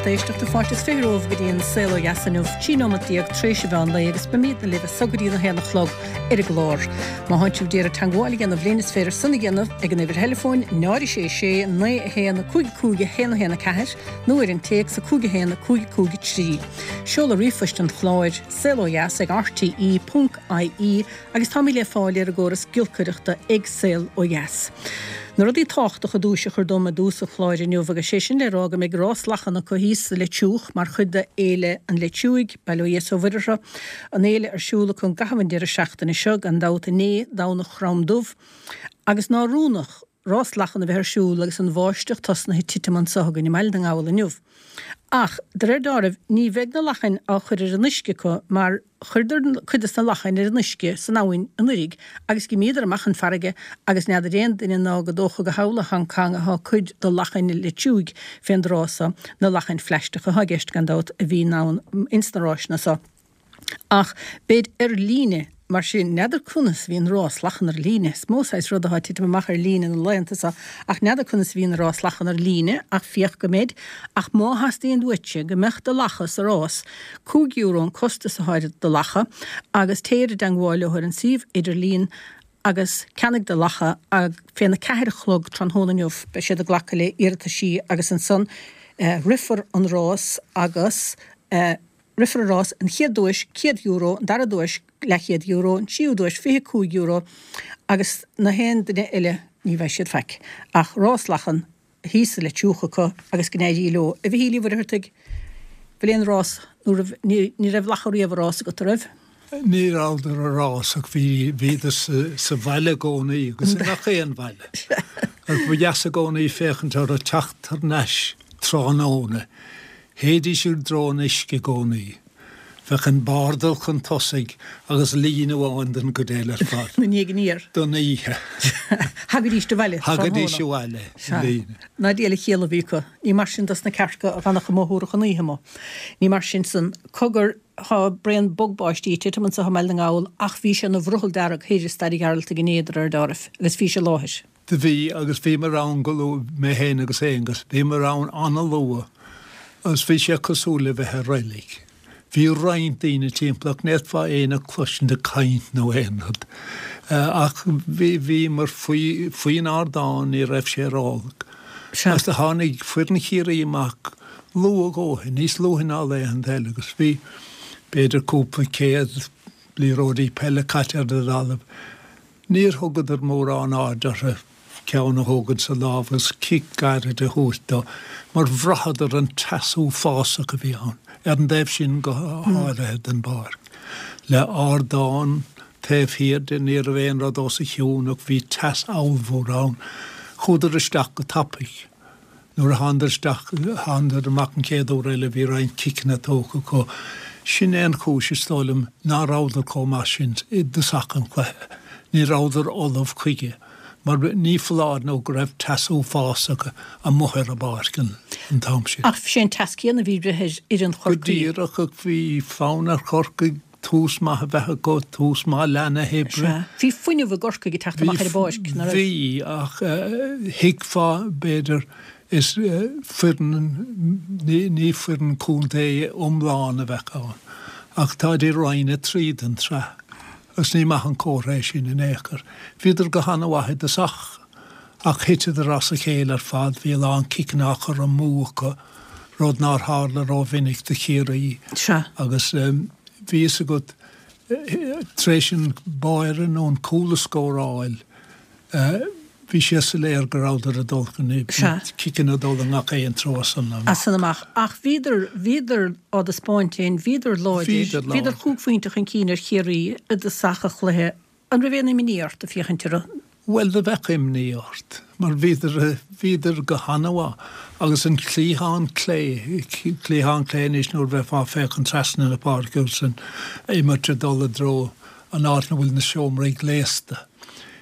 lucht éisteachta, fáilte is 20 romhaibh go dtí an Saol Ó Dheas inniu, 13 nóimeat tréis an mheán lae agus beimidne libh as so go dtí a haon a chlog ar an gclár. Má thánn sibh d'iarraidh teangmháil a dhéanamh linn is féidir san a dhéanamh ag an uimhir theileafóin 0 6 6 9 1 5 5 1 1 4 nó ar an téacs 5 1 5 5 3. Seoladh ríomhphoist an chláir, saolodheas ag rte ponc ie agus táimid le fáil ar an gcóras giolcaireachta ag Saol Ó Dheas. Na rudaí tábhachtacha duais a chur dom i dtús an chláir inniu agus sé sin le rá go mbeidh rás lachan acu thíos sa Leitriúch mar chuid de Fhéile an Leitriúigh, Bail ó Dhia is ó Mhuire orthu, an fhéile ar siúl acu i gcaitheamh an deireadh seachtaine seo, gan dabht inné, Domhnach Chrom Dubh, agus nár oiriúnach rás lachan a bheith ar siúl agus an bháisteach tosnaithe ag titim anso againn i mBaile na nGall inniu. Ach, de réir deáraimh, ní bheidh na lachain á chur ar an uisce acu mar chuireadar cuid des na lachain ar an uisce san abhainn anuiridh agus dh'imíodar amach chun farraige agus n'fheadar aon duine ná go dócha go thall i Hong Kong athá cuid de lachain an Leitriúigh fén dtráth so, na lachain phlaisteacha athá i gceist gan dabht a bhíonn ann ins na ráiseanna so. Ach beid ar líne, mar sin, n'fheadar conas a bhíonn rás lachan ar líne. Is mó saghas rud atá ag titim amach ar líne na laethanta seo, ach n'fheadar conas a bhíonn rás lachan ar líne, ach féach go mbeid. Ach má theastaíonn uaitse go mbeadh do lacha sa rás, €5 an costas atá ar do lacha, agus téir i dteangmháil leo ar an suíomh idirlín agus ceannaigh do lacha féna ceathair a chlog tráthnóna inniu. Beidh siad ag glacadh le iarrataisí agus ansan rithfear an rás agus. Rithfear an rás, an chéad duais, €100, an dara duais, leathchéad euro, an tríú duais, €25 agus na haon duine eile, ní bheidh siad faic. Ach rás lachan thíos sa Leitriúch acu agus go n-éirí leo. A Mhichíl Uí Mhuircheartaigh, bhfuil aon rás nó raibh, ní raibh lacha riamh i rás agat, a raibh? Ní rabhadar i rás ach bhí, bhíodar sa bhaile i gcónaí agus i ngach aon bhaile. Agus ba dheas i gcónaí féachaint orthu teacht thar n-ais tráthnóna. Théidís i dtreo an uisce i gcónaí. Bheadh an bardal chun tosaigh agus líne amháin den gcuid eile ar fad. Ina ndiaidh aniar. Don oíche. Thagaidís abhaile tráthnóna. Thagaidís abhaile i líne. Ná diail a chiall a bhí acu. Ní mar sin dos na cearca a dh'fhanfadh amuigh thabharfadh an oíche amuigh. Ní mar sin san. Cogar, tá braon bog báistí ag titim anso i mBaile na nGall ach bhí sé ina bhrothall dearg thoir i Staid an Ghearaltaigh inné de réir deáraimh agus bhís i láthair. Do bhí, agus bhíomar ann go luath, mé féin agus Aonghus, bhíomar ann an-luath agus bhí sé cosúil le bheith i reilig. Bhí roinnt daoine timpeall ach ní fhéadfá éinne a chloisint ag caint nó aon rud. Ach bhí, bhíomar faoi, faoin ardán, ní raibh sé ródhona. Agus do tháinig foireann Chiarraí amach luath a dhóthain, níos luaithe ná laethanta eile agus bhí b'fhéidir cúpla céad liathróidí peile caite ar an dtalamh. Níor thugadar mórán aird orthu ceann a thógaint sa lámh agus cic gairid a thabhairt dó, mar bhraitheadar an teas uafásach a bhí ann, ar an dtaobh sin go háirithe den bpáirc. Le ardán taobh thiar de, ní raibh aon rud os a chionn ach bhí teas ollmhór ann. Chuadar isteach go tapaidh. Nuair a thánadar isteach, thánadar amach an chéad uair eile, bhí roinnt ciceanna tógtha acu. Sin é an chúis, is dóigh liom, ná rabhadar chomh maith sin i dtosach an chluiche. Ní rabhadar ullamh chuige, mar ní foláir nó go raibh teas uafásach amuigh ar an bpáirc an t-am sin. Ach sé an teas céanna a bhí ag rith ar fhoireann Go Chorcaí. díreach, ach bhí fonn ar Chorcaigh tús maith a bheith acu, tús maith leath na hoibre. Sea. Bhí fuinneamh i gCorcaigh ag teacht amach ar an bpáirc, ná raibh? Bhí, ach thuigfeá, b'fhéidir, is foireann, ní foireann contae iomlán a bheadh ann, ach táid i Roinn 3 den tsraith agus ní maith an comhartha é sin in aon chor. Bhíodar go han-mhaith i dtosach ach thiteadar as a chéile ar fad, bhí a lán ciceanna á chur amú acu. rud nár tharla rómhinic do Chiarraí. Sea. Agus bhí fhios agat, tar éis an báire nó an cúl a scóráil, bhí sé soiléir go rabhadar ag dul chun, Sea. ciceanna ag dul i ngach aon treo as san amach. As san amach. Ach bhíodar, bhíodar á dtaispeáint féin, bhíodar láidir, Bhíodar láidir. bhíodar chúig phointe chun cinn ar Chiarraí i dtosach an chluiche. An raibh aon imní ort ag féachaint orthu? Bhuel, do bheadh imní ort, mar bhíodar, bhíodar go han-mhaith. Agus an cliathán clé, cliathán clé anois nuair a bheifeá ag féachaint trasna na páirce agus an imirt ag dul i dtreo an áit ina bhfuil na seomraí gléasta.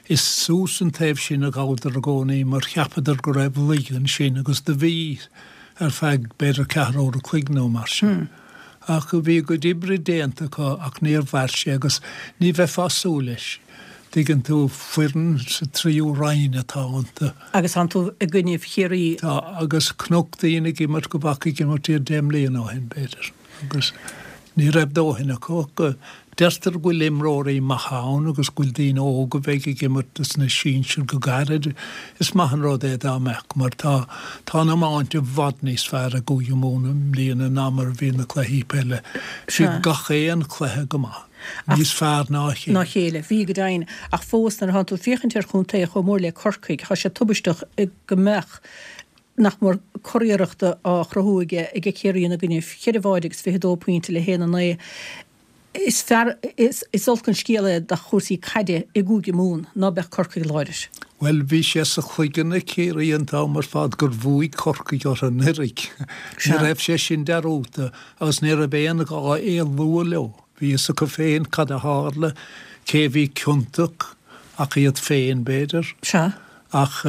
Is suas an taobh sin a ghabhadar i gcónaí mar cheapadar go raibh laige ansin agus do bhí ar feadh b'fhéidir ceathrú uair a chloig nó mar sin. Ach bhí a gcuid oibre déanta acu ach níor mhair sé agus ní bheifeá ag súil leis. Tuigeann tú, foireann sa tríú roinn atá iontu. Agus tánn tú i gcoinnibh Chiarraí. Tá, agus chonac daoine ag imirt go bhfaca ag imirt iad deich mbliana ó shin, b'fhéidir, agus ní raibh dóthain acu ach deirtear go bhfuil imreoirí maithe ann agus go bhfuil daoine óga a bheidh ag imirt sna sinsir go gairid. Is maith an rud é dá mbeadh, mar tá, tá an iomáint i bhfad níos fearr i gCúige Mumhan i mbliana ná mar a bhí na cluichí peile. Bhí gach aon chluiche go maith. Níos fearr ná a chéile. Ná a chéile. Bhí, go deimhin. Ach fós, nuair atánn tú ag féachaint ar chontae chomh mór le Corcaigh, tá sé tubaisteach go mbeadh nach mór curiarracht á chruthú aige aige Ciarraí ina gcoinnibh. Cheithre bháide agus 22 pointe le haon 9. Is fearr, is olc an scéal é do chúrsaí caide i gCúige Mumhan ná beadh Corcaigh láidir. Bhuel, bhí sé sa chloigeann ag Ciarraí an t-am ar fad gur bhuaigh Corcaigh orthu anuraidh. Ní raibh sé sin dearúdta agus ní raibh aon ghá é a lua leo. Bhí fhios acu féin cad a tharla, cé a bhí ciontach, ach iad féin, b'fhéidir. Sea. Ach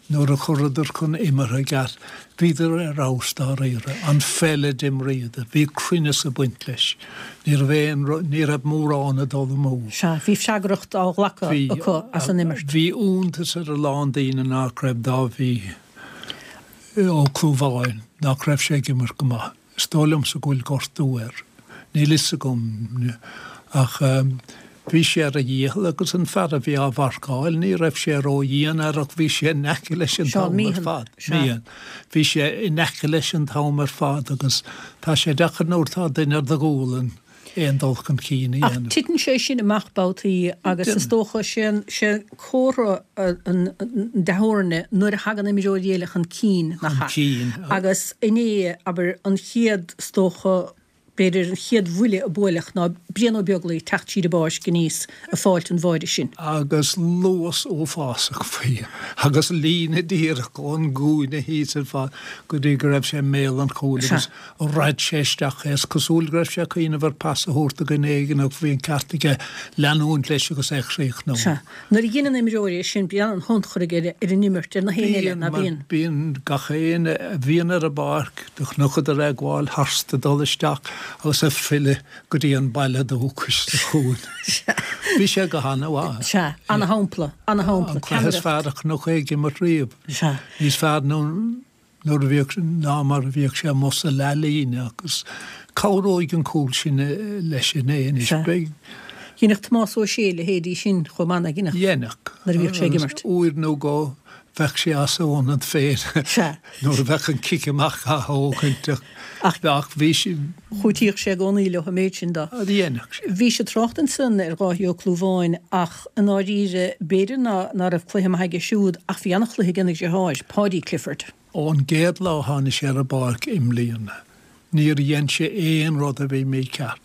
nuair a chuireadar chun imeartha i gceart, bhíodar ar fheabhas dáiríre. An pheil a d'imríodar, bhí cruinneas ag baint leis. Ní raibh aon rud, ní raibh mórán ag dul amú. Sea, bhí freagracht á ghlacadh acu as an imirt. Bhí iontas ar a lán daoine nach raibh Dáibhí Ó Clúmháin, nach raibh sé ag imirt go maith. Is dóigh liomsa go bhfuil gortú air. Níl fhios agam. Ach bhí sé ar a dhícheall agus an fear a bhí á mharcáil, ní raibh sé ró-dhian air ach bhí sé in aice leis an t-am ar fad. Meehan. Bhí sé in aice leis an t-am ar fad agus tá sé deacair nuair atá duine ar do ghualainn. aon dul chun cinn a dhéanamh. Ach titeann sé sin amach babhtaí agus is dócha sé sé comhartha an dea-fhoirne nuair a thagann imreoirí eile chun cinn, nach ea? Agus inné, abair, an chéad, is dócha, b'fhéidir an chéad bhuille a buaileadh ná Brian Ó Beaglaoich ag teacht tríd an bpáirc aníos ag fáilt an bháide sin. Agus luas uafásach faoi agus líne díreach ón gcúinne thíos ar fad go dtí go raibh sé i mbéal an chúil agus Raid sé isteach é. Is cosúil go raibh sé ag cuimhneamh ar pas a thabhairt do dhuine éigin ach bhí an ceart aige leanúint leis agus é a chríochnú. Sea. Nuair a dheineann imreoirí é sin, bíonn an-thionchar aige ar an imirt, ar na héinne eile, ná bíonn? Bíonn. Gach éinne a bhíonn ar an bpáirc, do chonacadar é ag gabháil tharstu, ag dul isteach agus ag filleadh go dtí an baile dúchais sa chúinne. Bhí sé go han-mhaith. Sea. Ana-shampla. Ana-shampla. An cluiche is fearr a chonac é ag imirt riamh. Sea. Níos fearr ná. nuair a bhíodh, ná mar a bhíodh sé amuigh sa leathlíne agus cabhróidh an cúl sin leis inné anois. Sea. Beidh. Dheineadh Tomás Ó Sé a leithéidí sin chomh maith, nach ndeineadh? Dheineadh. Nuair a bhíodh sé ag imirt. Uair nó dhó bheadh sé as a ionad féin. Sea. Nuair a bheadh an cic amach á thógaint ach ach bhí sé. Chúitíodh sé i gcónaí leo an méid sin de. Dheineadh sé. Bhís ag trácht ansan ar Dháithí Ó Clúmháin ach i ndáiríre b'fhéidir ná ná raibh cluiche maith aige siúd ach bhí ana-chluiche aige ina dheartháir, Paudie Clifford. Ón gcéad lá a tháinig sé ar an bpáirc i mbliana níor dhein sé aon rud a bhí mícheart.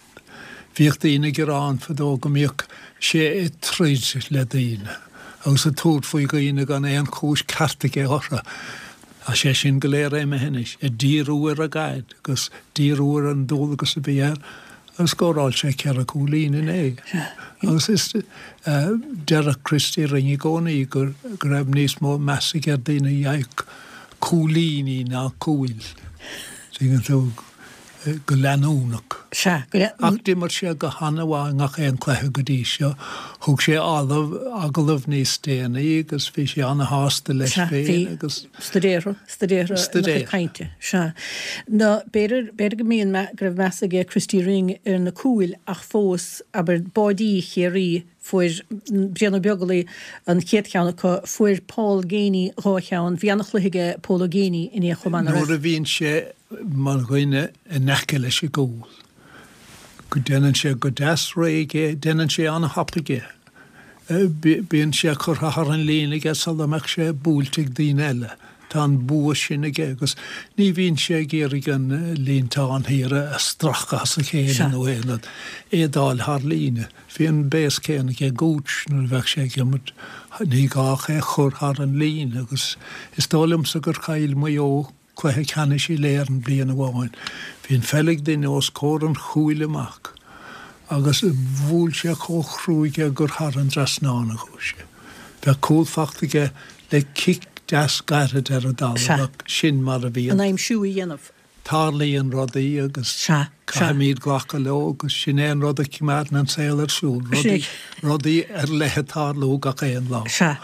Bhíodh daoine ag gearán fadó go mbíodh sé ag troid le daoine agus ag tabhairt faoi dhaoine gan aon chúis ceart aige orthu. Tá sé sin go léir imithe anois, ag díriú ar an gcaid agus díriú ar an dualgas a bhí air agus scóráil sé cheithre chúilín inné. Agus is deireadh Christy Ring i gcónaí go raibh níos mó meas aige ar daoine a gheibheadh cúilíní ná cúil. Tuigeann tú? Go leanúnach. Sea, go leanúnach. Ach d'imir sé go han-mhaith i ngach aon cluiche go dtí seo. Thug sé agallamh níos déanaí agus bhí sé an-shásta leis féin agus. Sea, bhí. Stuidéartha, stuidéartha ina chuid cainte. Sea. Nó b'fhéidir, b'fhéidir go mbíonn, go raibh meas aige Christy Ring ar na cúil ach fós, abair, báidí Chiarraí, Fuair Brian Ó Beaglaoich an chéad cheann acu, fuair Paul Geaney dhá cheann. Bhí an-chluiche aige Pól Ó Géibheannaigh inné chomh maith, nach raibh? Nuair a bhíonn sé mar dhuine in aice leis an gcúl, go déanann sé go deas réidh é, déanann sé an-thapaidh é. Bíonn sé curtha thar an líne aige sula mbeadh sé buailte ag daoine eile. Tá an bua sin aige agus ní bhíonn sé ag iarraidh an líontáin thiar a stracadh as a chéile nó aon rud, é a d'fháil thar líne. Bhí an béas céanna aige Gooch nuair a bheadh sé ag imirt, ní gá ach é a chur thar an líne agus is dóigh liomsa gur chaill Maigh Eo cluiche ceannais Uile-Éireann bliain amháin. Bhí an pheil ag duine os comhair an chúil amach agus bhuail sé chomh cruaidh é gur thar an dtrasnán a chuaigh sé. Bheadh cúl fachta aige le cic deas gairid ar an dtalamh ach sin mar a bhí an. An aimsiú a dhéanamh. Tarlaíonn rudaí agus caithfimid glacadh leo agus sin é an rud a choimeádann an saol ar siúl, rudaí, rudaí ar leith ag tarlú gach aon lá. Sea.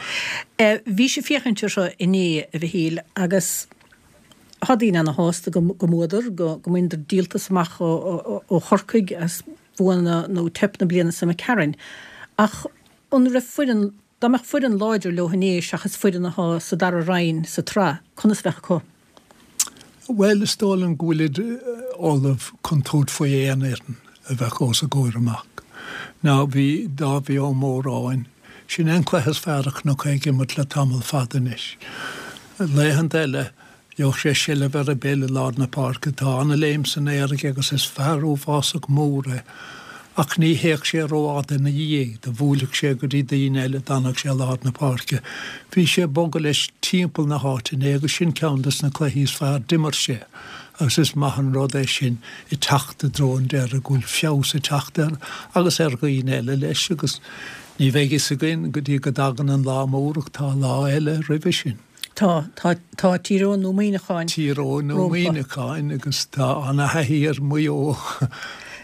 Bhís ag féachaint orthu inné, a Mhichíl, agus tá daoine ana-shásta go mbuadar, go mbaineadar díoltas amach ó Chorcaigh as bua nó teip na bliana seo imigh tharainn. Ach an raibh foireann, dá mbeadh foireann láidir leo inné seachas foireann atá sa dara roinn sa tsraith, conas a bheadh acu? Bhuel, is dóigh liom go bhfuilid ullamh chun tabhairt faoi aon fhoireann a bheadh os a gcomhair amach. Now, bhí Dáibhí Ó Móráin, sin é an cluiche is fearr a chonac é ag imirt le tamall fada anois. Laethanta eile, gheobhadh sé seilbh ar an bpeil i lár na páirce. Tá ana-léim san aer aige agus is fear uafásach mór é. Ach ní théadh sé rófhada ina dhiaidh, do bhuailfeadh sé go dtí daoine eile, d'fhanfadh sé i lár na páirce. Bhí sé ag bogadh leis timpeall na háite inné agus sin ceann des na cluichí is fearr d'imir sé agus is maith an rud é sin ag teacht i dtreo an deiridh go bhfuil feabhas ag teacht air agus ar dhaoine eile leis agus ní bheidh fhios againn go dtí go dtagann an lá mór ach tá lá eile roimhe sin. Tá, tá, tá Tír Eoghain nó Muineacháin Tír Eoghain nó rompu. Muineacháin agus tá ana-thaithí ar Mhaigh Eo,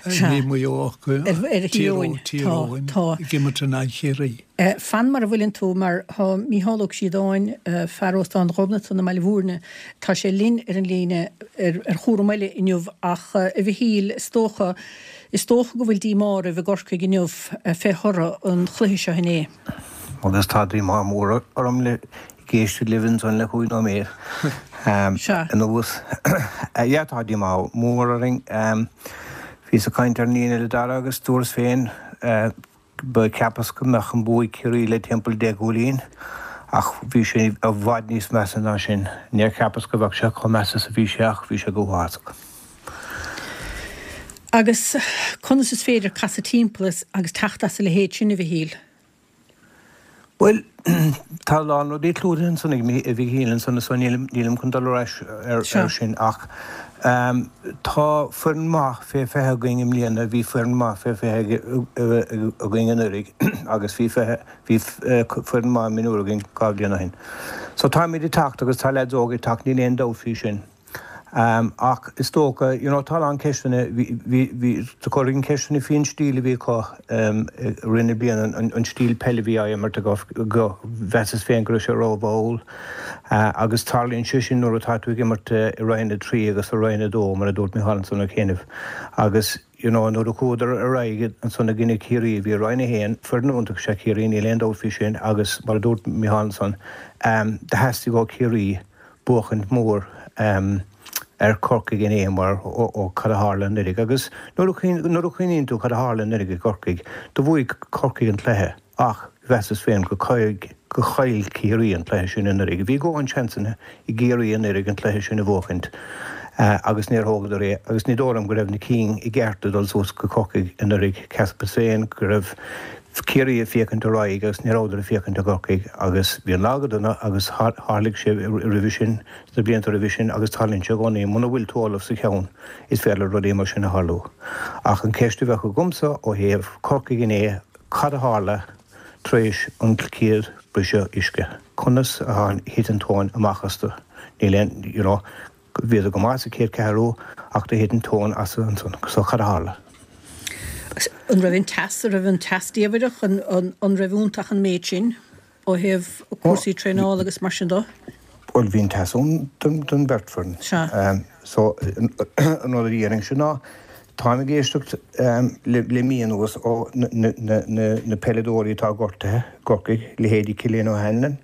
Sea, ní Maigh Eo ach ar, ar Thír Eoghain, Tír tá, Eoghain tá. ag imirt in aghaidh Chiarraí. Fan mar a bhfuileann tú mar tá Mícheál Ó Críodáin, fear Óstán Ghobnatan i mBaile Bhúirne, tá sé linn ar an líne ar, ar chúram eile inniu ach a Mhichíl, is dócha, is dócha go bhfuil díomá oraibh i gCorcaigh inniu fé thoradh an chluiche seo inné. Agus tá díomá mór orm le ag éisteacht libh ansan le chúig nóiméad anuas. Yeah, tá díomá mór orainn. Bhíos ag caint ar an líne le Dara agus dúras féin ba cheapas go mbeadh an bua ag Ciarraí le timpeall 10 gcúilín ach bhí sé i bhfad níos measa ná sin. Níor cheapas go mbeadh sé chomh measa is a bhí sé ach bhí sé go huafásach. Agus conas is féidir casadh timpeall agus teacht as a leithéid sin, a Mhichíl? Bhuel, tá a lán rudaí clúdaithe ansan ag Mhichíl ansan so nílim chun dul ar ais ar sin ach tá foireann maith fé 20 againn i mbliana, bhí foireann maith fé 20 againn anuraidh agus bhí bhí foireann maith mionúr againn 2 bhliain ó shin. So táimid ag teacht agus tá leaids óga ag teacht, níl aon dabht faoi sin. Ach is dócha, you know, tá a lán ceisteanna, bhí, bhí, bhí, do chuirfinn ceisteanna faoin stíl a bhí acu i rith na bliana, an, an stíl peile a bhí á imirt acu, go, mheasas féin go raibh sé rómhall. Agus tarlaíonn sé sin nuair atá tú ag imirt i Roinn 3 agus i Roinn 2, mar a dúirt Micheál ansan ó chianaibh. Agus, you know, nuair a chuadar ar aghaidh ansan i gcoinne Ciarraí, a bhí i Roinn 1, foireann iontach is ea Ciarraí, níl aon dabht faoi sin, agus mar a dúirt Micheál ansan, do theastaigh ó Chiarraí, buachaint mór ar Chorcaigh inné mar ó cad a tharla anuraidh agus nuair a chuimhníonn tú cad a tharla anuraidh i gCorcaigh, do bhuaigh Corcaigh an cluiche ach mheasas féin go go chaill Ciarraí an cluiche sin anuraidh. Bhí dhóthain seansanna i gCiarraí anuraidh an cluiche sin a bhuachaint agus níor thógadar é agus ní dóigh liom go raibh na cinn i gceart ag dul suas go Corcaigh anuraidh. Cheapas féin go raibh Ciarraí ag féachaint ar aghaidh agus ní rabhadar ag féachaint ar Chorcaigh agus bhí an lá go dona agus tharlaigh sé roimhe sin, sna blianta roimhe sin agus tarlaíonn sé i gcónaí, muna bhfuil tú ullamh sa cheann is féidir le rudaí mar sin a tharlú. Ach an ceist a bheadh agamsa ó thaobh Corcaigh inné, cad a tharla tar éis an chéad briseadh uisce? Conas a thit an tóin amach astu? Níl aon, you know, Bhíodar go maith sa chéad cheathrú ach do thit an tóin astu ansan. So cad a tharla? An raibh an teas, an raibh an teas díobhaireach, an raibh iontach an méid sin ó thaobh cúrsaí traenála agus mar sin de? Bhuel bhí an teas ann don bheirt foireann. Sea. So an rud a dhéarfainnse ná táim ag éisteacht le mí anuas ó na peileadóirí atá gortaithe i gCorcaigh, leithéidí Cillian O'Hanlon,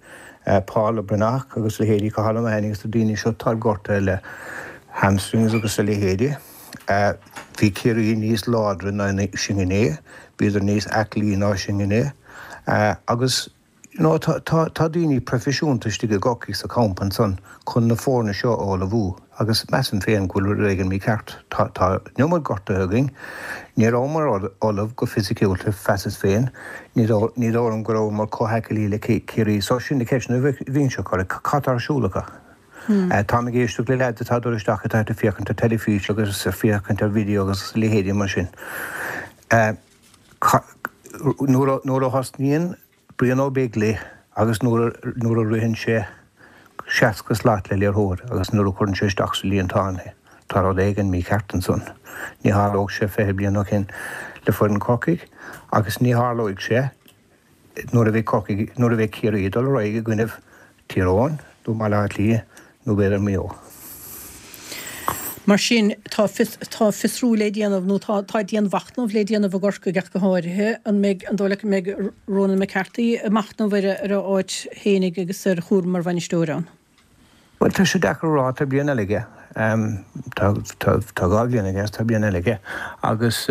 Paul Breathnach agus leithéidí Cathal O'Mahony agus na daoine seo atá gortaithe le hamstrings agus a leithéidí. Bhí Ciarraí níos láidre ná sinn inné, bhíodar níos aclaí ná sinn inné agus you know tá tá daoine proifisiúnta istigh i gCorcaigh sa champa ansan chun na foirne seo a ullmhú agus measaim féin go bhfuil rud éigin mícheart. Tá tá an iomad gortaithe againn. Ní rabhamar ullamh go fisiciúlta, mheasas féin. Ní dóigh liom go rabhamar chomh haclaí le Ciarraí. So sin na ceisteanna a bhínnse ag cur. Cad tá ar siúl acu? Táim ag éisteacht le leaids atá ag dul isteach atá ag féachaint ar teilifís agus ag féachaint ar video agus a leithéidí mar sin. Nuair a thosnaíonn Brian Ó Beaglaoich agus nuair a ritheann sé 60 slat le liathróid agus nuair a chuireann sé isteach sa líontán é. Tá rud éigin mícheart ansan. Ní tharlódh sé 20 bliain ó shin le foireann Chorcaigh agus ní tharlóidh sé nuair a bheidh Corcaigh, nuair a bheidh Ciarraí ag dul ar aghaidh i gcoinnibh Tír Eoghain nó Baile Átha Cliath nó b'fhéidir Maigh Eo. Mar sin, tá tá fiosrú le déanamh, nó tá tá dianmhachnamh le déanamh i gCorcaigh ach go háirithe. An mbeidh, an dóigh leat go mbeidh Ronan McCarthy ag machnamh ar a ar a áit fhéinig agus ar chúram mar bhainisteoir ann? Bhuel, tá sé deacair a rá, tá bliain eile aige. Tá, tá, tá 2 bhliain aige agus tá bliain eile aige. Agus,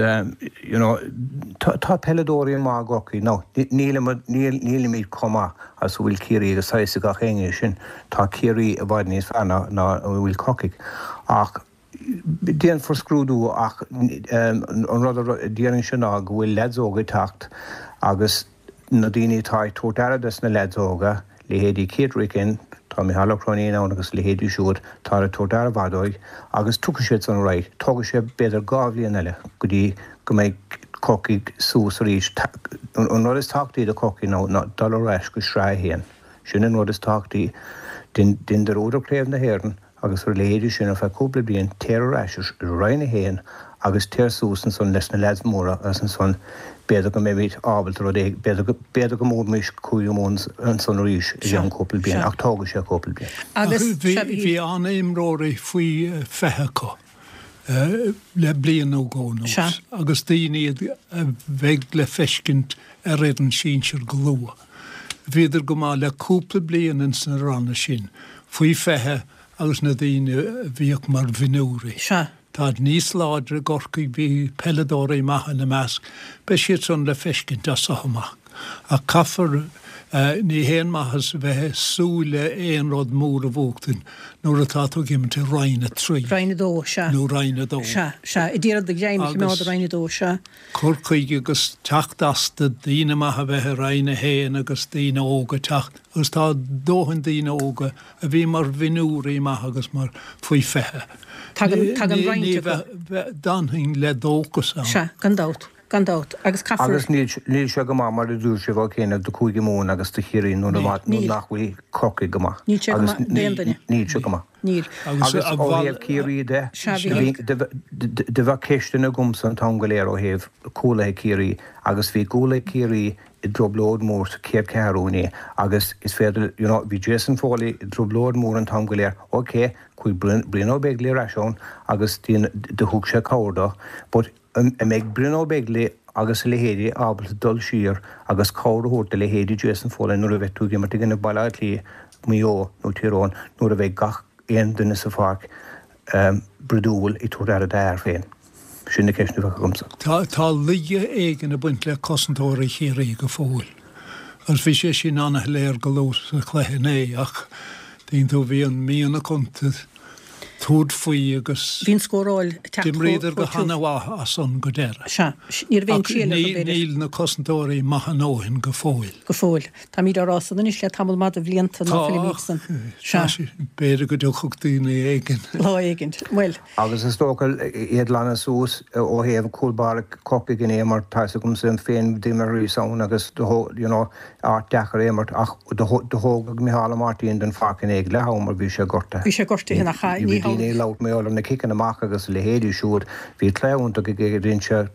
you know, tá, tá peileadóirí maith i gCorcaigh. Now, nílimid, níl, nílimid chomh maith agus a bhfuil Ciarraí agus tá a fhios ag gach éinne é sin. Tá Ciarraí i bhfad níos fearr ná, ná a bhfuil Corcaigh. Ach déanfar scrúdú ach an rud a déarfainnse ná go bhfuil leaids óga ag teacht agus na daoine atá ag tabhairt aire dos na leaids óga, leithéidí Keith Ricken, tá Micheál Ó Cróinín ann agus a leithéidí siúd, tá ag tabhairt aire mhaith dóibh agus tiocfaidh siad san ar aghaidh. Tógfaidh sé b'fhéidir 2 bhliain eile go dtí go mbeidh Corcaigh suas arís. An rud is tábhachtaí do Chorcaigh ná dul ar ais go Sraith 1. Sin an rud is tábhachtaí. Dein dearúd ar Chraobh na hÉireann agus ar a leithéidí sin ar feadh cúpla bliain, téir ar ais i Roinn 1 agus téir suas ansan leis na leaids móra agus ansan b'fhéidir go mbeimid ábalta rud éigin, b'fhéidir go, b'fhéidir go mbuafaimís Cúige Mumhan ansan arís i gceann cúpla bliain ach tógfaidh sé cúpla bliain. Agus, Bhí an-imreoirí faoi 20 acu. le bliain nó dhó anuas agus daoine iad a bheidh le feiscint ar fhoireann sinsir go luath. Bhíodar go maith le cúpla bliain ins na ranna sin, faoi 20 agus na daoine a bhíodh mar mhionúirí. Táid níos láidre i gCorcaigh, bhí peileadóirí maithe ina measc, beidh siad san le feiscint as so amach. Ach caithfear, ní haon maitheas a bheith ag súil le aon rud mór a bhuachtaint nuair atá tú ag imirt i Roinn 3. Roinn 2, sea. Nó Roinn 2. Sea, sea. Ag iarraidh do ghreim a choimeád i Roinn 2, sea. Cur chuige agus teacht astu, daoine maithe a bheith i Roinn 1 agus daoine óga teacht, agus tá dóthain daoine óga a bhí mar mhionúirí maithe agus mar faoi 20. Tagann, tagann roinnt acu. D'fhanfainn le dóchas ann. Sea, gan dabht. Gan dabht, agus caithfear. Agus níl sé go maith, mar a dúirt sibh, ó chianaibh, do Chúige Mumhan agus do Chiarraí nuair nach bhfuil Corcaigh go maith. Níl sé go maith d'aon duine. Níl sé go maith. Níl. Agus ó thaobh Chiarraí de, do bheadh ceisteanna agamsa an t-am go léir ó thaobh cúlaithe Chiarraí agus bhí cúlaithe Chiarraí i dtrioblóid mhór sa chéad cheathrú inné agus is féidir, you know, bhí Jason Foley i dtrioblóid mhór an t-am go léir, ok, chuaigh Brian Ó Beaglaoich ar ais ann agus do thug sé cabhair dó but An mbeidh Brian Ó Beaglaoich agus a leithéidí ábalta dul siar agus cabhair a thabhairt do leithéidí Jason Foley nuair a bheidh tú ag imirt i gcoinne Baile Átha Cliath, Maigh Eo nó Tír Eoghain nuair a bheidh gach aon duine sa pháirc brúidiúil ag tabhairt aire dá fhear féin? Sin na ceisteanna a bheadh agamsa. Tá laige éigin ag baint le cosantóirí Chiarraí go fóill agus bhí sé sin ana-shoiléir go luath sa chluiche inné ach tuigeann tú bhí an mianach iontu tabhairt faoi agus Bhí an scóráil ag teacht d'imríodar go hana-mhaith as san go deireadh. Sea. Ní raibh aon Ach triail orthu, b'fhéidir. níl na cosantóirí maith a ndóthain go fóill. Go fóill. Táimid á rá san anois le tamall maith de bhlianta ná Tá, fuilimid san. Sea. tá sé, b'fhéidir go dtiocfadh daoine éigin. Lá éigin. Bhuel. Agus is dócha iad glanadh suas ó thaobh cúl báire Chorcaigh inné mar tá 'fhios agamsa féin d'imríos ann agus you know áit deacair a imirt ach do thógadh Micheál Ó Máirtín den pháirc inné ag leath am mar bhí sé gortaithe. Bhí sé gortaithe nach ea? Bhí daoine ag labhairt mar gheall ar na ciceanna amach agus a leithéidí siúd. Bhí cluiche iontach aige rinne sé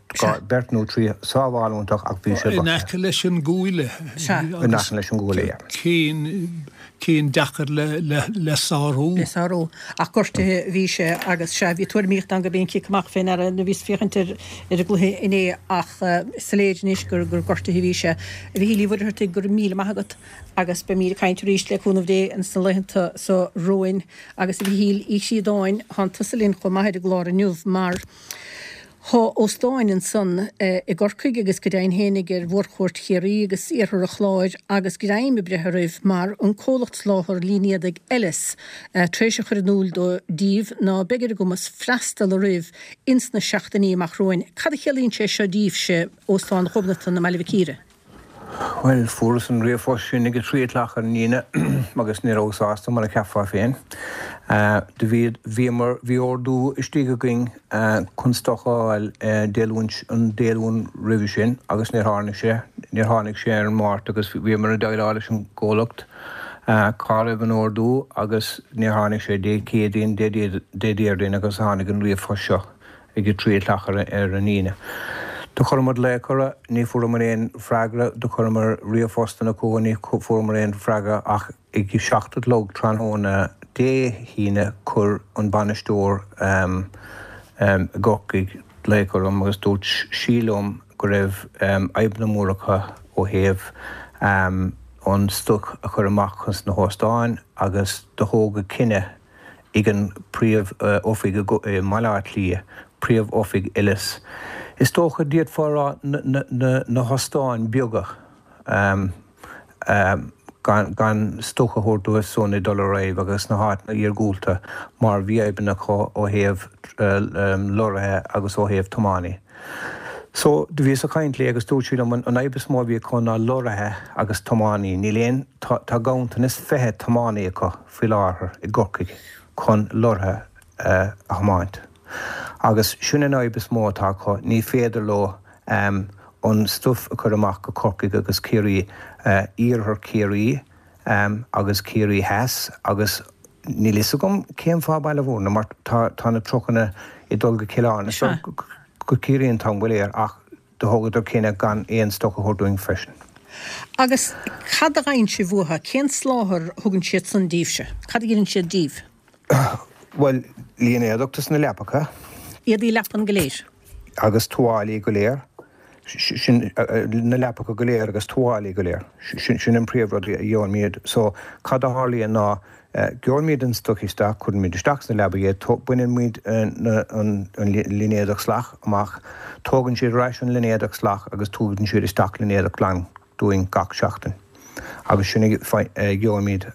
beirt nó trí sábháil iontach ach bhí sé gortaithe. In aice leis an gcuaille. Sea. In aice leis an gcuaille, yeah. Cinn cinn deacair le sárú. Le sárú. Ach gortaithe a bhí sé agus, sea, bhí tuairimíocht ann gurb é an cic amach fé ndeara nuair a bhíos ag féachaint ar an gcluiche inné ach is soiléir anois gur gortaithe a bhí sé. A Mhichíl Uí Mhuircheartaigh, go raibh míle maith agat agus beimíd ag caint arís le cúnamh Dé ins na laethanta so romhainn. Agus a Mhichíl Uí Chríodáin, thánn tusa linn chomh maith ar an gclár inniu mar Thá óstáin ansan i gCorcaigh agus go deimhin fhéinig ar mhórchuairt Chiarraí agus iarthar an Chláir agus greim ag breith oraibh mar an comhlacht soláthar línéadaigh Ellis tar éis a chur in iúl dó díbh ná beidh ar a gcumas freastal oraibh ins na seachtainí amach romhainn. Cad a chiallaíonn sé seo díbhse, Óstán Ghobnatan i mBaile Mhic Íre? Bhuel, fuaireas an ríomhphost sin ag a trí a cloch ar an Aoine agus ní rabhas sásta, mar a cheapfá féin. Do bhí, bhíomar, bhí ordú istigh againn chun stoc a fháil Dé Luain, an Dé Luain roimhe sin agus níor tháinig sé, níor tháinig sé ar an Máirt agus bhíomar ag déileáil leis an gcomhlacht. Cá raibh an ordú agus níor tháinig sé Dé Céadaoin, Dé Déardaoin agus tháinig an ríomhphost seo ag a 3 a chlog ar an Aoine. Do chuireamar glaoch orthu, ní fuaireamar aon freagra, do chuireamar ríomhphostanna chucu, ní fuaireamar aon freagra ach ag a 7 a chlog tráthnóna Dé hAoine chuir an bainisteoir i gCorcaigh glaoch orm agus dúirt sí liom go raibh fadhbanna móra acu ó thaobh an stoc a chur amach chun na hóstáin agus do thógadh cinneadh ag an príomh oifig i mBaile Átha Cliath, príomh oifig Elis. Is dócha d'fhéadfá a rá na hóstáin beaga gan stoc a thabhairt dóibh san ag dul ar aghaidh agus na háiteanna iargúlta mar bhí fadhbanna acu ó thaobh lorraithe agus ó thaobh tiománaí. So, do bhíos ag caint léi agus dúirt sí liom an fhadhb is mó a bhí acu ná lorraithe agus tiománaí. Níl aon, tá, tá ganntanas 20 tiománaí acu faoi láthair i gCorcaigh chun lorraithe a thiomáint. Agus sin an fhadhb is mó atá acu, ní féidir leo an stuif a chur amach go Corcaigh agus Ciarraí, iarthar Chiarraí agus Ciarraí Theas agus níl fhios agam cén fáth Baile Bhúirne mar tá tá na trucanna ag dul go Cill Airne so go Ciarraí an t-am go léir ach do thógadar cinneadh gan aon stoc a thabhairt dúinn freisin. Agus cad a fhaigheann sibh uathu? Cén soláthar a thugann siad san díbhse? Cad a dheineann siad díbh? Bhuel, línéadach dos na leapacha. Éadaí leapan go léir. Agus tuáillí go léir. Sin, na leapacha go léir agus tuáillí go léir. Sin an príomh-rud a gheobhaimid. So, cad a tharlaíonn ná, gheobhaimid an stoc isteach, cuirimid isteach sna leabaí é, baineann muid an línéadach salach amach, tógann siad ar ais an línéadach salach agus tugann siad isteach línéadach glan dúinn gach seachtain. Agus sin a gheobhaimid.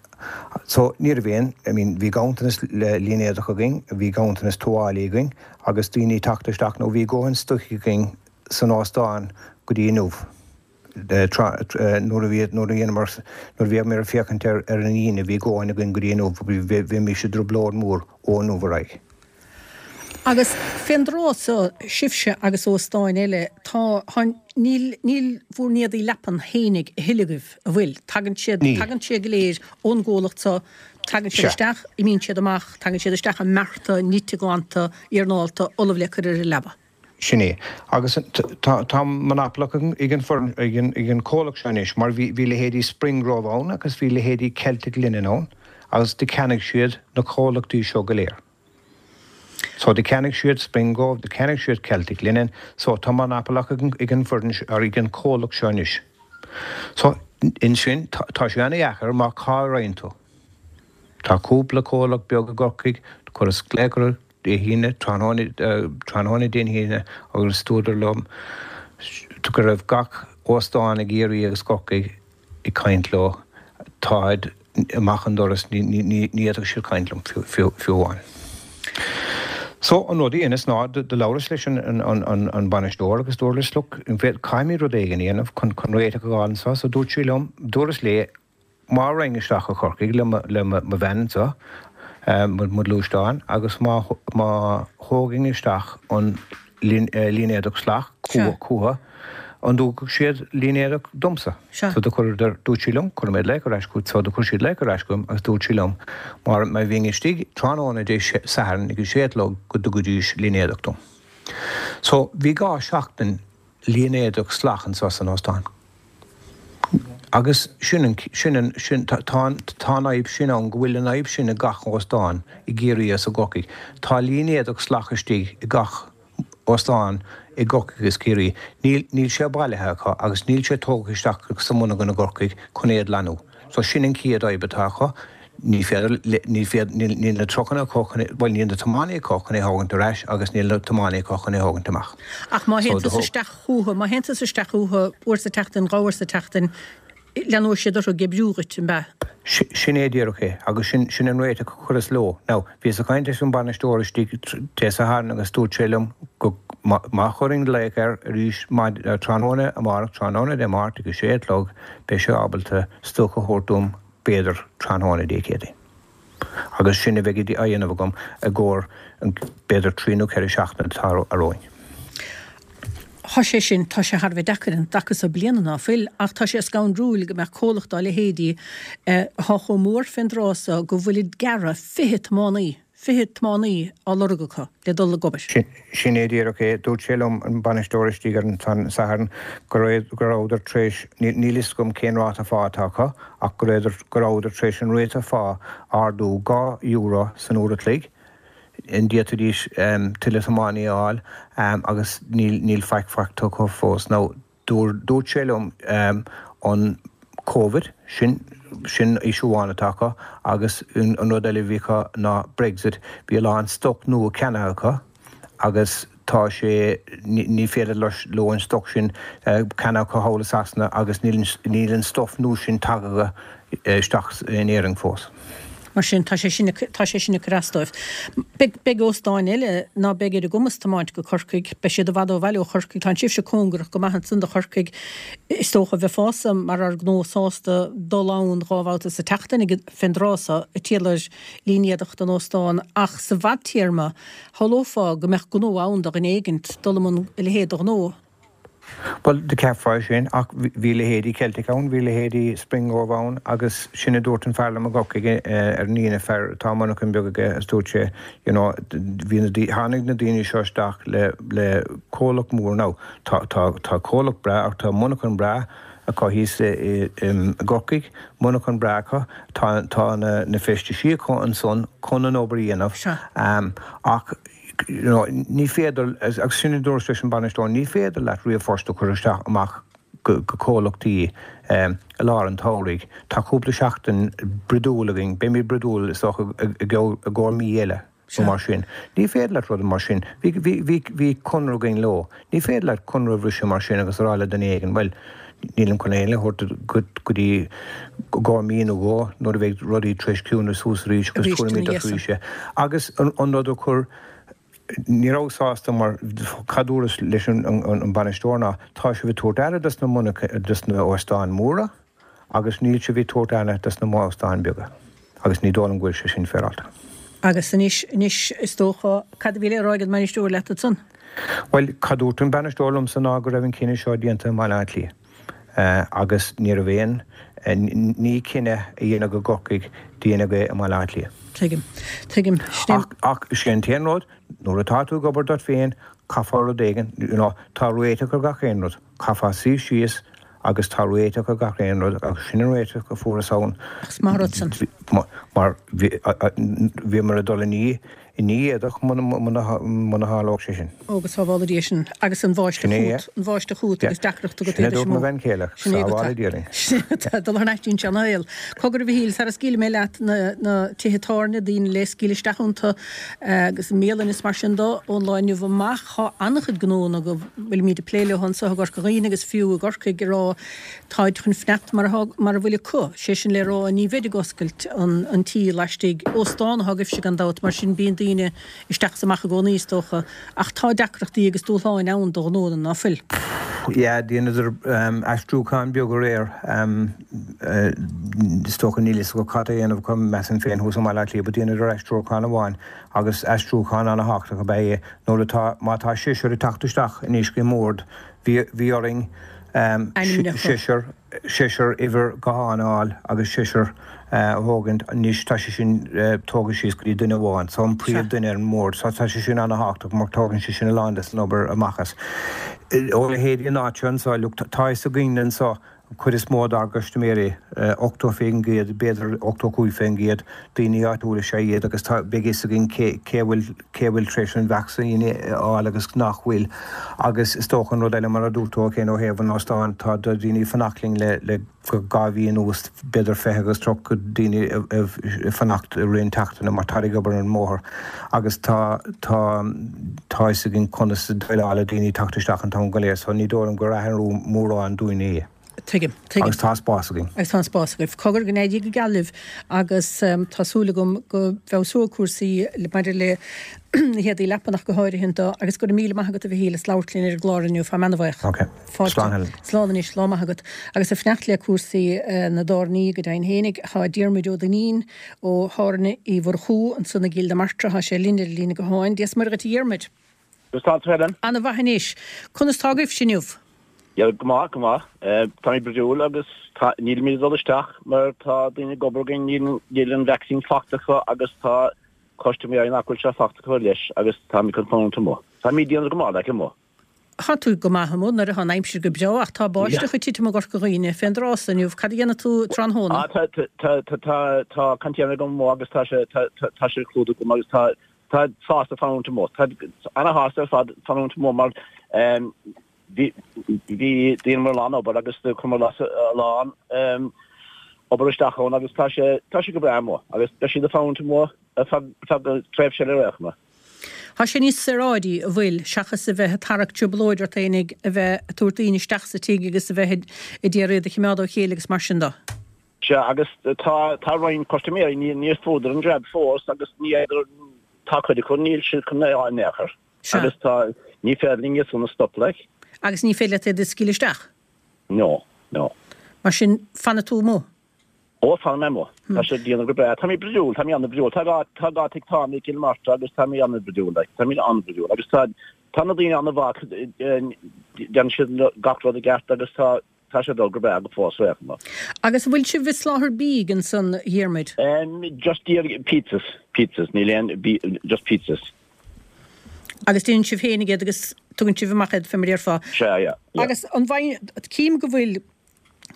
So, ní raibh aon, I mean, bhí ganntanas línéadach againn, bhí ganntanas tuáillí againn agus daoine ag teacht isteach, nó bhí dóthain stoic againn san óstán go dtí inniu. Nuair a bhí, nuair a dheineamar, nuair a bhíomar ag féachaint ar ar an Aoine, bhí dóthain againn go dtí inniu, bheimis i dtrioblóid mhór ó inniu ar aghaidh. Agus fén dtráth so, sibhse agus óstáin eile, tá, tá, níl, níl bhur n-éadaí leapan fhéinig a thuilleadh agaibh, a bhfuil? Tagann siad, Níl. tagann siad go léir ón gcomhlacht so, tagann siad Sea. isteach, imíonn siad amach, tagann siad isteach i mbearta, nite glanta, iarnálta, ullamh le cur ar an leaba. Sin é. Agus tá, tá monopole ag an foireann, ag an, ag an comhlacht seo anois, mar bhí, bhí leithéidí Spring Grove ann agus bhí leithéidí Celtic Linen ann agus do cheannaigh siad na comhlachtaí seo go léir. So do cheannaigh siad Spring Grove, do cheannaigh siad Celtic Linen, so tá monopole ag an, ag an bhfoireann, or ag an comhlacht seo anois. So ansin, tá, tá sé ana-dheacair mar cá raghann tú? Tá cúpla comhlacht beag i gCorcaigh, chuireas glaoch orthu Dé hAoine, tráthnóna, tráthnóna Dé hAoine agus dúradar liom go raibh gach óstán i gCiarraí agus Corcaigh ag caint leo, táid amach an doras, ní, ní, ní, ní fhéadfadh siad caint liom fiú, fiú, fiú amháin. So, an rud a dheineas ná do, do labhras leis an, an, an, an, an bainisteoir agus dúras, look, caithfimid rud éigin a dhéanamh chun, chun réiteach a fháil anseo, so dúirt sí liom, dúras léi, Má raghainn isteach go Corcaigh le mo bhean anseo, mo ghluaisteán, agus má thógainn isteach an línéadach salach chucu, an dtabharfadh siad línéadach domsa? So do chuireadar, dúirt sí liom, cuirfidh mé glaoch ar ais chugat, so do chuir siad glaoch ar ais chugam agus dúirt sí liom má bhínn istigh tráthnóna Dé Sathairn ag a sé a chlog go dtugaidís línéadach dom. So bhí 2 seachtain línéadach salach anseo san óstán. Agus sin an, sin an, sin, tá, tá an, tá an fhadhb sin ann, go bhfuil an fhadhb sin i gach óstán i gCiarraí agus i gCorcaigh. Tá línéadach salach istigh i gach óstán i gCorcaigh agus Ciarraí. Níl, níl sé bailithe acu agus níl sé tógtha isteach sa monarcha i gCorcaigh chun é a ghlanadh. So sin an chéad fhadhb atá acu. Ní féidir, ní féidir, níl, níl na trucanna acu chun é, bhuel níl na tiománaí acu chun é thógaint ar ais agus níl na tiománaí acu chun é thógaint amach. Ach má théann tusa isteach chucu, má théann tusa isteach chucu uair sa tseachtain, 2 uair sa tseachtain, leanóidh siad orthu ag oibriú dhuit, an ea? Sin é díreach é, agus sin, sin an réiteach a chuireas leo. Now, bhíos ag caint leis an bainisteoir istigh Dé Sathairn agus dúirt sé liom go, má, má chuirfinn glaoch air arís maid, tráthnóna amárach, tráthnóna Dé Máirt ag a sé a chlog, beidh sé ábalta stoc a thabhairt dom b'fhéidir tráthnóna Dé Céadaoin. Agus sin a bheidh á dhéanamh agam i gcomhair b'fhéidir 3 nó 4 seachtaine atá romhainn. Tá sé sin, tá sé thar a bheith deacair an dtaca so bliana ná fuil, ach tá sé scanrúil go mbeadh comhlacht dá leithéidí atá chomh mór fén dtráth so go bhfuilid ag gearradh 20 tiománaí, 20 tiománaí á lorg acu le dul ag obair. Sin é díreach é. Dúirt sé liom, an bainisteoir istigh ar an Satharn, go rabhadar tar éis, níl fhios agam cén ráta phá atá acu, ach go rabhadar tar éis an ráta phá a ardú €2 san uair a chloig. an bhféadfaidís tuilleadh tiománaí a fháil agus níl faic faighte acu fós. Now dúirt sé liom an Covid, sin sin issue amháin atá acu agus an rud eile a bhí acu ná Brexit. Bhí a lán stoc nua ceannaithe acu agus tá sé, ní féidir leo an stoc sin ceannaithe acu thall i Sasana agus níl an stuff nua sin tagtha isteach in Éirinn fós. Mar sin, tá sé sin, tá sé sin ag cur as dóibh. Beidh, beidh óstáin eile ná beidh ar a gcumas tiomáint go Corcaigh, beidh siad i bhfad ó bhaile ó Chorcaigh, tá sibhse cóngarach go maith ansan do Chorcaigh, is dócha, bheifeása mar fhear gnó sásta dul ann dhá bhabhta sa tseachtain ag, fén dtráth so, ag triall ar línéadach don óstán ach sa bhfadtéarma, shamhlófá go mbeadh gnó ann do dhuine éigint dul i mbun a leithéid de ghnó. Bhuel, do cheapfá é sin, ach bhí leithéidí Celtic ann, bhí leithéidí Springrove ann agus sin a dúirt an fear liom i gCorcaigh ar an Aoine, fear atá monarchan beag aige agus dúirt sé, you know, bhí na, tháinig na daoine seo isteach le, le comhlacht mór now, tá, tá, tá comhlacht breá ach tá monarchan breá acu thíos i, i, i gCorcaigh, monarchan breá acu, tá, tá na, na feistisí acu ansan chun an obair a dhéanamh ach, you know, ní féidir, agus sin a dúras leis an bainisteoir, ní féidir leat ríomhphost a chur isteach amach go comhlachtaí i lár an tsamhraidh. Tá cúpla seachtain brúidiúil againn, beimid brúidiúil is dócha i gcomhair mí eile nó mar sin. Ní féidir leat rud mar sin, bhí, bhí, bhí, bhí conradh againn leo, ní féidir leat conradh a bhriseadh mar sin agus a rá le duine éigin, bhuel, nílim chun aon a thabhairt go dtí i gcomhair mí nó dhó nuair a bheidh rudaí tar éis ciúnú suas arís agus tabharfaimid duit arís é. Agus an rud a chuir, ní rabhas sásta mar cad dúras leis an bainisteoir ná tá sibh ag tabhairt aire dos na monarcha, dos na óstáin mhóra agus níl sibh ag tabhairt aire dos na óstáin beaga agus ní dóigh liom go bhfuil sé sin féaráilte. Agus anois, anois is dócha, cad a bhí le rá ag an mbainisteoir leat ansan? Bhuel, cad dúirt an bainisteoir liomsa ná go raibh an cinneadh seo déanta i mBaile Átha Cliath agus ní raibh aon ní cinneadh a dhéanamh i gCorcaigh, déanadh é i mBaile Átha Cliath. Tuigim. Tuigim. Ach, ach, sé an t-aon rud, nuair atá tú ag obair duit féin, caithfeá rud éigin, you know, tá réiteach ar gach aon rud. Caithfeá suí síos agus tá réiteach ar gach aon rud agus sin an réiteach a fuarthas ann. Ach is maith an rud san. Mar bhíomar ag dul i ndiaidh i ndiaidh éadach muna tharlódh sé sin. Ó go sábhála Dia sinn. Agus an bháisteach chugat, an bháisteach chugat agus deacracht agat Sin a dúirt mo bhean chéile, sábhála Dia linn. Sin é agat dul thar n-ais dtí'n seanashaol. Cogar a Mhichíl, sara scaoilfidh mé leat na na tithe tábhairne, daoine le scaoileadh isteach iontu agus bialanna is mar sin do ón lá inniu amach, tá an-chuid gnóanna go bhfuilimid ag plé leo anseo i gCorca Dhuibhne agus fiú i gCorcaigh ag rá Táid chun fanacht mar atá, mar a bhfuil acu, sé sin le rá, ní bheid ag oscailt an an tí laistigh. Óstán atá agaibhse gan dabht, mar sin bíonn daoine isteach is amach i gcónaí is dócha, ach tá deacrachtaí agus dúshláin ann do ghnóanna, ná fuil? Yeah, dheineadar aistriúchán beag aréir. Is dócha níl fhios acu cad a dhéanamh acu, measaim féin, thuas i mBaile Átha Cliath, but dheineadar aistriúchán amháin agus aistriúchán ana-thábhachtach ab ea é. Nuair atá, má tá seisear ag teacht isteach anois go mbord, Bhí, bhí orainn seisear, seisear uimhir gutháin a fháil agus seisear a thógaint. Anois tá sé sin tógtha síos go dtí duine amháin, so an príomh duine ar an mbord. So tá sé sin ana-thábhachtach mar tógann sé sin a lán des an obair amach as. Ó leithéidí an áit seo anso, look, tá fhios againn anso An chuid is mó dár gcustaiméirí, 80%, b'fhéidir 85%, daoine áitiúla is ea iad agus tá, beidh fhios againn cé, cé a bhfuil, cé a bhfuil tar éis an vacsaín a fháil agus nach bhfuil. Agus is dócha an rud eile, mar a dúirt tú féin ó thaobh an óstáin, tá daoine ag fanacht linn le, le 2 mhí anuas, b'fhéidir 20 agus 30 daoine ag fanacht i rith an tseachtaine mar táid ag obair ar an mbóthar agus tá, tá, tá fhios againn conas déileáil le daoine ag teacht isteach an t-am go léir so ní dóigh liom gur athrú mórán dúinn é. Tuigim, tuigim. Agus tá spás againn. Agus tá an spás agaibh. Cogar, go n-éirí go geal libh agus tá súil agam go bhfeabhsóidh cúrsaí maidir le na héadaí leapan ach go háirithe do agus go raibh míle maith agat a Mhichíl as labhairt linn ar an gclár inniu. Táim ana-bhuíoch. Ok. Fáilte. Slán Helen. Slán anois, lá maith agat. Agus ag fanacht le cúrsaí na dtábhairní go deimhin fhéinig, tá Diarmuid Ó Duinnín ó Thábhairne Uí Mhurchú ansan i gCill na Martra, tá sé linn ar an líne gutháin. Dia 's Muire dhuit a Dhiarmuid. Conas tá tú Helen? Ana mhaith anois. Conas tá agaibhse inniu? Yeah, go maith, go maith. Táimid bródúil agus tá, nílimid ag dul isteach mar tá daoine ag obair againn, níl, níl an vaccine fachta acu agus tá custaiméirí nach bhfuil sé fachta acu leis agus táimid chun fanúint amuigh. Táimid ag déanamh go maith, like, amuigh. Tá tú go maith amuigh nuair atá an aimsir go breá ach tá báisteach ag titim i gCorca Dhuibhne fén dtráth so inniu. Cad a dhéanfaidh tú tráthnóna? Ah, tá, tá, tá, tá, tá container agam amuigh agus tá sé, tá, tá, tá sé clúdaithe agam agus tá, tá sásta fanúint amuigh. Tá ana-shásta ar fad fanúint amuigh mar ehm bhí, bhí dheineamar a lán obair agus do chuireamar a lán ehm obair isteach ann agus tá sé, tá sé go breá amuigh agus beidh siad ag fanúint amuigh ar feadh, feadh tréimhse eile ar aon chuma. Tá sé níos saoráidí, an bhfuil, seachas a bheith ag tarrac trioblóid ort fhéinig, a bheith ag tabhairt daoine isteach sa tigh agus a bheith ag iarraidh iad a chimeád ó chéile agus mar sin de. Sea, agus tá, tá roinnt custaiméirí, ní, níor fuaireadar an jab fós agus ní fhéadar, tá cuid acu, níl siad chun é a fháil in aon chor. Sea. Agus tá, ní féidir linn iad san a stop, like. Agus ní féidir leat iad a scaoileadh isteach? No, no. Mar sin, fanfaidh tú amuigh? Ó, fanfaidh mé amuigh. Tá sé ag déanamh go breá. Tá mé bródúil, tá mé an-bhródúil. Tá gá, tá gá tigh Tom i gCill Martra agus tá mé an-bhródúil, like. Tá mé an-bhródúil. Agus tá, tá na daoine an-mhaith, déanann siad gach rud i gceart agus tá, tá sé ag dul go breá go fós ar aon chuma. Agus an bhfuil sibh ag soláthar bídh ansan, a Dhiarmuid? Just díreach pizzas, pizzas, níl aon bí, just pizzas. Agus déanann sibh féinig iad agus tugann sibh amach iad, fé mar a déarfá. Sea, yeah, yeah. Agus an bhfaigheann, cím go bhfuil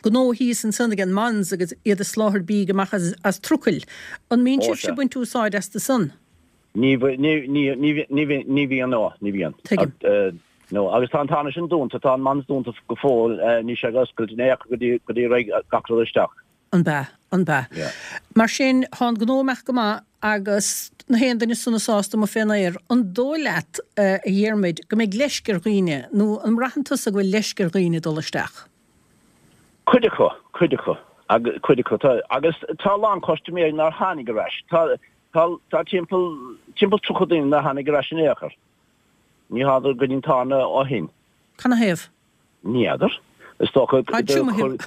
gnó thíos ansan ag an Mons agus iad ag soláthar bídh amach as trucail. An mbíonn Ó, sibhse sea. ag baint úsáid astu san? Ní, ní, ní, ní, ní, ní bhíonn, no, ní bhíonn. Tuigim. No, agus tá an tarna sin dúnta, tá an Mons dúnta go fóill, níl sé ag oscailt in aon chor go dtí, go dtí raghaidh gach rud isteach. An bea? An bea? Yeah. Mar sin, tá an gnó ag imeacht go maith agus na haon duine sona sásta amuigh fén aer. An dóigh leat, a Dhiarmuid, go mbeidh leisce ar dhaoine, nó an mbraitheann tusa go bhfuil leisce ar dhaoine dul isteach? Cuid acu, cuid acu, agus cuid acu, tá, agus tá a lán custaiméirí nár tháinig ar ais. Tá, tá, tá timpeall, timpeall 30 duine nár tháinig ar ais in aon chor. Ní thánadar go dtí an tábhairne ó shin. Canathaobh? Ní fheadar. Is dócha Tá triomaithe,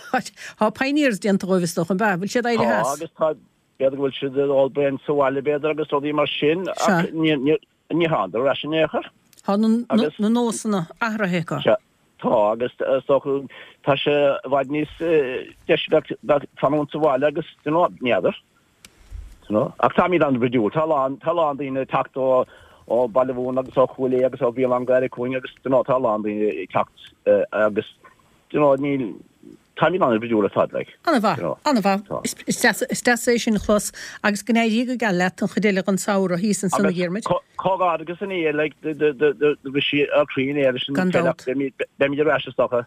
tá pioneers déanta dhóibh is dócha, an bea? Bhfuil siad éirithe Tá as? agus tá, b'fhéidir go bhfuil siad ag ól braon sa bhaile b'fhéidir agus rudaí mar sin Sea. ach ní, ní, ní thánadar ar ais in aon chor. Tá na, na, Agus. na nósanna athraithe acu. Sea, tá agus is dócha tá sé i bhfad níos deise bheith, bheith fanúint sa bhaile agus, you know, ní fheadar. Ach táimid an-bhródúil. Tá a lán, tá a lán daoine ag teacht ó, ó Baile Mhúirne agus ó Chúil Aodha agus ó Bhéal Átha an Ghaorthaidh chugainn agus you know tá a lán daoine ag teacht agus you know níl, táimid an-bhródúil ar fad like. An-mhaith, You know. an-mhaith. Tá. Is, is deas, is deas é sin a chlos agus go n-éirí go geal leat an chuid eile den samhradh thíos ansan a Agus Dhiarmuid. comhghairdeachas inné like do, do, do, do, do bhris sí ár gcroí inné leis an Gan peil ach dabht. beimid, beimid ar ais is dócha.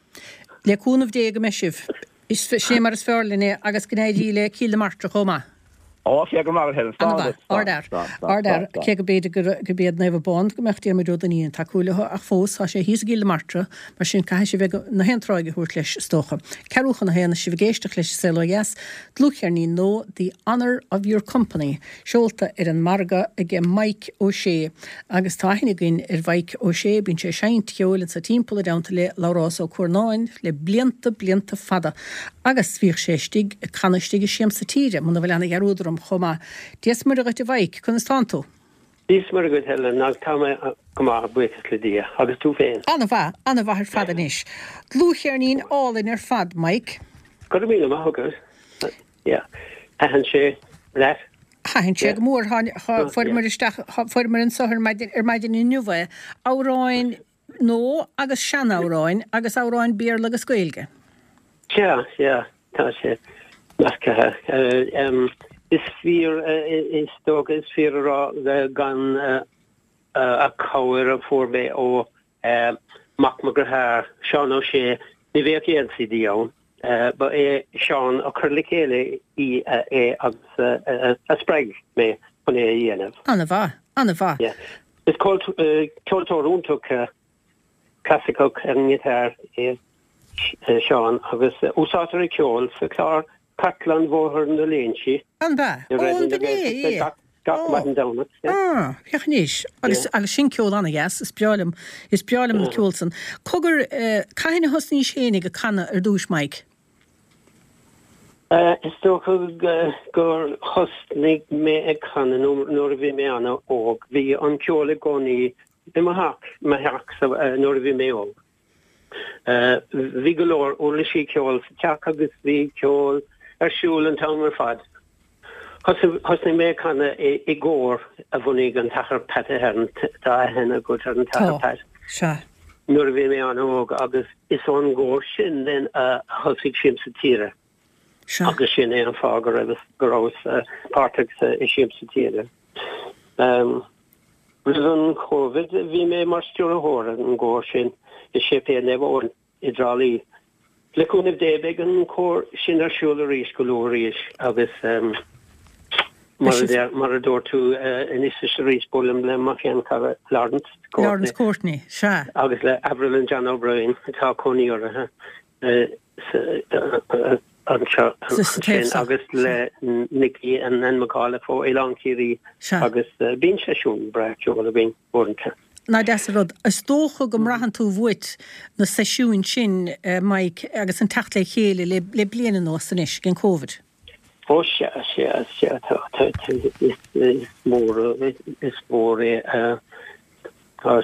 Le cúnamh Dé go mbeidh sibh. Is sin mar is fearr linn é agus go n-éirí le Cill na Martra chomh maith. Ó, cé go maith Helen. Slán An-mhaith. duit. Slán. Ardfhear. Slán. Slán. Ardfhear. Slán. Cé go b'fhéidir gur gurb iad Naomh Abán go mbeadh Diarmuid Ó Duinnín ag tacú leo ach fós tá sé thíos i gCill na Martra mar sin caithfidh sé bheith na haon tráigh a thabhairt leis is dócha. Ceathrú chun a haon is sibh ag éisteacht leis An Saol Ó Dheas, dlúthcheirnín nua The Honour of Your Company seolta ar an margadh aige Mike Ó Sé Agus tá aithne againn ar Mhaidhc Ó Sé, bíonn sé ag seinnt cheoil anso timpeall i dteannta le Labhrás Ó Cuarnáin le blianta, blianta fada. Agus bhíodh sé istigh ag canadh istigh i Siamsa Tíre, muna bhfuil ana dhearúd orm, chomh maith. Dia 's Muire dhuit a Mhaidhc, conas tánn tú? Dia 's Muire dhuit Helen, agus tá mé go maith, buíochas le Dia. Agus tú féin? Ana-mhaith, ana-mhaith ar fad anois. Dlúthcheirnín álainn ar fad, Mike. Go raibh míle maith agat. Yeah. Thaitin sé leat? Thaitin sé go mór. Fuaireamar isteach, fuaireamar anso ar maidin, ar maidin inniu é. Amhráin nua agus seanamhráin agus amhráin Béarla agus Gaeilge. Sea, sea, tá sé measctha. Is fíor, is dócha, is fíor a rá gan a cabhair a fuair mé ó mac mo dhearthár, Seán Ó Sé, ní bheadh aon CD ann. Ba é Seán a chuir le chéile í é agus a spreag mé chun é a dhéanamh. An-mhaith, an-mhaith. Is ceoltóir iontach clasaiceach ar an ngiotár é Seán agus úsáidtear a cheol sa chlár Cartlann Bhóthar na Léinsí. An bea? Ó, an b'in é, é. Gach maidin Domhnach. Ah, féach anois. Agus, agus sin ceol an-dheas, is breá liom, is breá liom an ceol san. Cogar, cathain a thosnaís féinig ag canadh ar dtúis, Mike? Is dócha gur thosnaigh mé ag canadh nuair a bhí mé an-óg. Bhí an ceol i gcónaí. I mo theach, mo theach nuair a bhí mé óg. Bhí go leor uirlisí ceoil sa teach agus bhí ceol ar siúl an t-am ar fad. Thosnaigh mé ag canadh i gcór a bhunaigh an tAthair Pat Ahern, tá aithne agat ar an tAthair Pat, nuair a bhí mé an-óg agus is ón gcór sin then a thosaigh Siamsa Tíre agus sin é an fáth go raibh go rabhas páirteach i Siamsa Tíre. Roimh an Covid bhí mé mar stiúrthóir ar an gcór sin i Séipéal Naomh Eoin i dTrá Lí. Le cúnamh Dé beidh an cór sin ar siúl arís go luath arís agus mar a dúirt tú anois is arís buailim le mo sheanchara Laurence Courtney. Laurence Courtney, sea. Agus le Avril and John O'Brien atá cónaí orthu anseo ansin agus le Nicky and Anne McAuliffe ó Oileán Ciarraí agus bíonn seisiún breá ceoil againn uaireanta. Nach deas an rud. Is dócha go mbraitheann tú uait na seisiúin sin, Mike, agus an teacht le chéile le bliain anuas anois ag an Covid. Ó sea, sea, sea, tá, tá, is mór, is mór é, tá,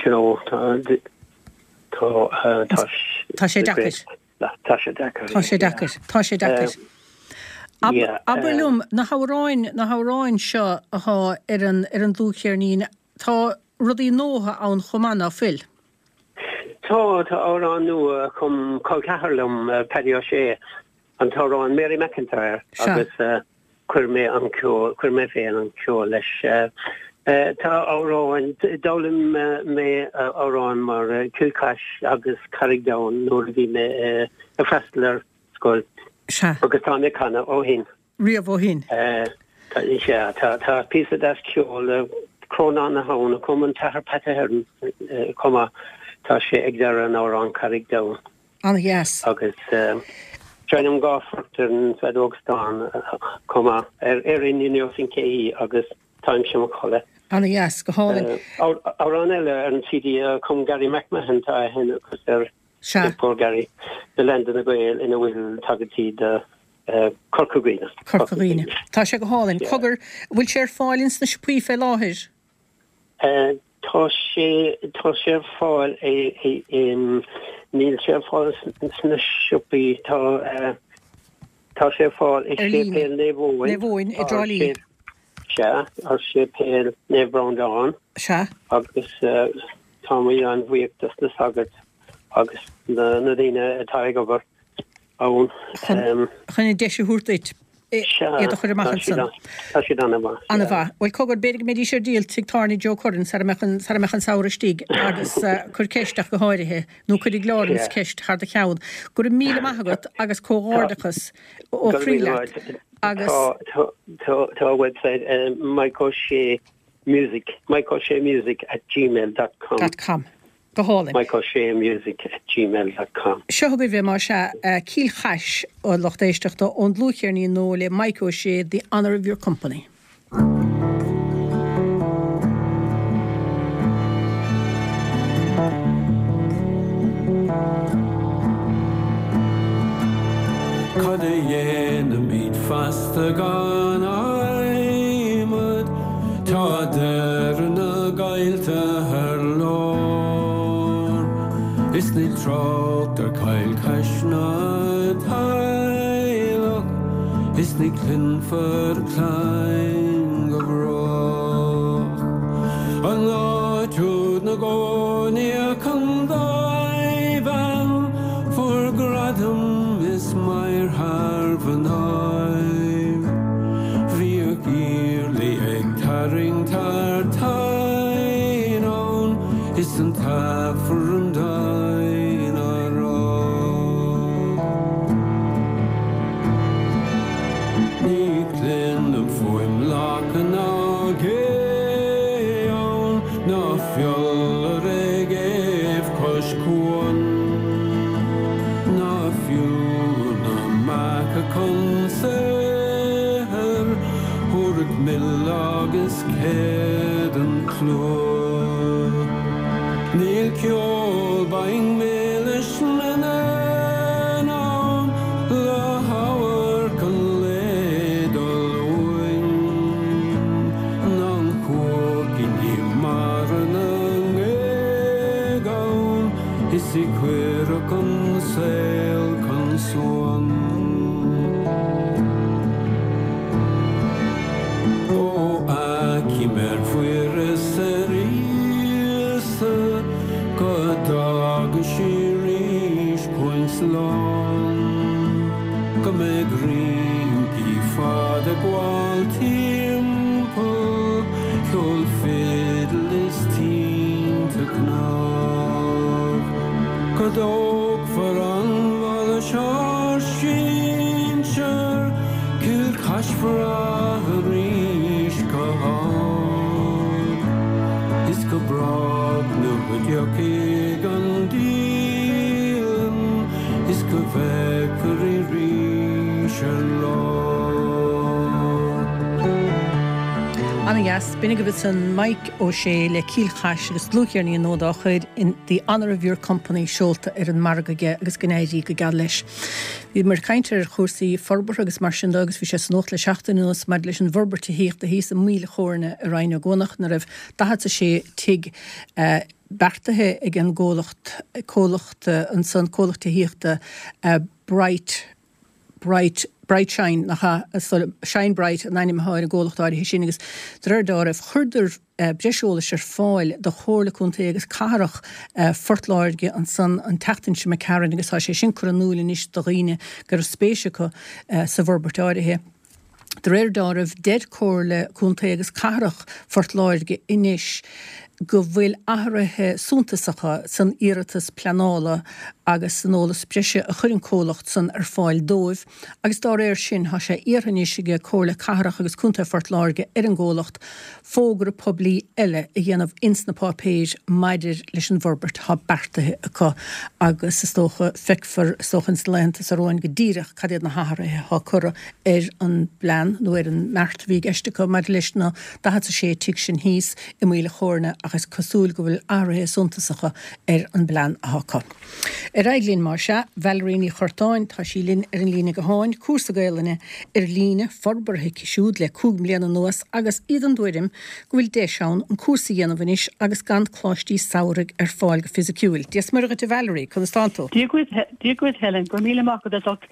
you know, tá, tá, tá, Tá sé deacair. Tá sé deacair. Tá sé deacair. Tá sé deacair. Abair liom, na hamhráin, na hamhráin seo athá ar an, ar an dlúthcheirnín, tá rudaí nua ann chomh maith, ná fuil? Tá, tá amhrán nua a chum col ceathar liom, Paddy Ó Sé, an t-amhrán Mary McIntyre agus chuir mé an ceol, chuir mé féin an ceol leis. Tá amhráin, d'fhoghlaim mé amhráin mar Cill Chais agus Carraig Donn nuair a bhí mé ag freastal ar scoil agus tá mé ag canadh ó shin. Riamh ó shin. Sea, tá píosa deas ceoil, Crónán na hAbhann, a chum an tAthair Pat Ahern chomh maith, tá sé ag deireadh an amhráin Carraig Donn. An-dheas. Agus seinnim 2 phort ar an bhfeadóg stáin chomh maith, ar Erin Ní Neosain Cé hí agus Táimse i mo chodladh. An-dheas, go hálainn. Amhrán eile ar an CD a chum Gary McMahon, tá aithne agat ar Sea. Poor Gary, The Land of na Gael ina bhfuil tagairtí do Corca Dhuibhne. Corca Dhuibhne. Tá sé go hálainn. Cogar, bhfuil sé ar fáil ins na siopaí fé láthair? Tá sé, tá sé ar fáil i, níl sé ar fáil sna siopaí, tá, tá sé ar fáil i Séipéal Naomh Eoin. Naomh Eoin i dTrá Lí. Sea, ar Séipéal Naomh Breandán. Sea. Agus táimid an-bhuíoch dos na sagairt agus na daoine atá ag obair ann. Chun an deis a thabhairt duit iad a chur amach ansan. Tá siad an-mhaith. An-mhaith. Bhuel, cogar, b'fhéidir go mbeidís ar díol tigh tábhairne Joe Curran sara mbeadh an, sara mbeadh an samhradh istigh agus cuir ceist ach go háirithe, nó cuirfidh Laurence ceist thar do cheann. Go raibh míle maith agat agus comhghairdeachas ó chroí leat agus. Tá website Mike O'Shea Music, Mike O'Shea Music at gmail dot com. Dot com. Go hálainn. Mike O'Shea Music at gmail dot com. Seo chugaibh é más ea, Cill Chais, a lucht éisteachta, ón dlúthcheirnín nua le Mike O'Shea, The Honour of Your Company. Cad a dhéanfaimid feasta gan adhmad? Tá deireadh na gcoillte ar lár. Is níl trácht ar Chill Chais ná teaghlach, is ní chluinfear a clainn go brách. An áit úd 'na gcónaíodh an dá bhean fuair gradam is maor thar mhnáibh. Bhíodh Iarlaí ag tarraingt thar toinn ann is an tAifreann doimhin á rá. Ní chluinim fuaim lacha ná gé ann ná fiolar ag éamh cois cuain ná fiú na beacha chun saothair thabharfadh mil agus céad an clú. Níl ceol binn milis na n-éan ann le hamharc an lae dul uainn ná an chuaic i ndiaidh mara na. rincí fada ag gabháil timpeall, ceol fidil is tinte cnámh. Go dtógfar an bhaile seo ár sinsear, Cill Chais arís go hard. Is go brách nuair a dtiocfaidh an díleann is go bhfeicfear í 'rís ar lár. Ana dheas. B'in agaibh ansan Mike Ó Sé le Cill Chais agus dlúthcheirnín nua dá chuid In The Honour of Your Company seolta ar an margadh aige agus go n-éirí go geal leis. Bhíomar ag caint ar chúrsaí forbartha agus mar sin de agus bhí sé sa nuacht le seachtain anuas maidir leis an bhforbairt tithíochta thíos i Maoil Chóirne i Rinn Ó gCuanach ina raibh 46 tigh beartaithe ag an gcomhlacht comhlacht ansan, comhlacht tithíochta Bright Bright Bright Shine nach ea? Shine Bright an ainm atá ar an gcomhlacht áirithe sin agus de réir dealraimh chuireadar breis eolais ar fáil do Chomhairle Contae agus Cathrach Phort Láirge ansan an tseachtain seo imigh tharainn agus tá sé sin curtha in iúl anois do dhaoine go raibh spéis acu sa bhforbairt áirithe. De réir dealraimh, deir Comhairle Contae agus Cathrach Phort Láirge anois go bhfuil athruithe suntasacha san iarratas pleanála agus san eolas breise a chuir an comhlacht san ar fáil dóibh agus dá réir sin tá sé iarrtha anois ag Comhairle Cathrach agus Contae Phort Láirge ar an gcomhlacht fógra poiblí eile a dhéanamh ins na páipéir maidir leis an bhforbairt atá beartaithe acu agus is dócha, feicfear is dócha ins na laethanta seo romhainn go díreach cad iad na hathruithe atá curtha ar an bplean nó ar an mbeart a bhí i gceist acu maidir leis na 46 tigh sin thíos i Maoil a' Chóirne ach is cosúil go bhfuil athruithe suntasacha ar an bplean atá acu. Ar aghaidh linn, más ea. Valerie Ní Churtáin, tá sí linn ar an líne gutháin, cúrsa Gaelainne ar líne forbartha aici siúd le 5 mbliana anuas agus iad den dtuairim go bhfuil deis ann an cúrsa a dhéanamh anois agus gan coláistí samhraidh ar fáil go fisiciúil. Dia 's Muire dhuit a Valerie, conas tánn tú? Dia dhuit, Dia dhuit Helen, go raibh míle maith agat as ucht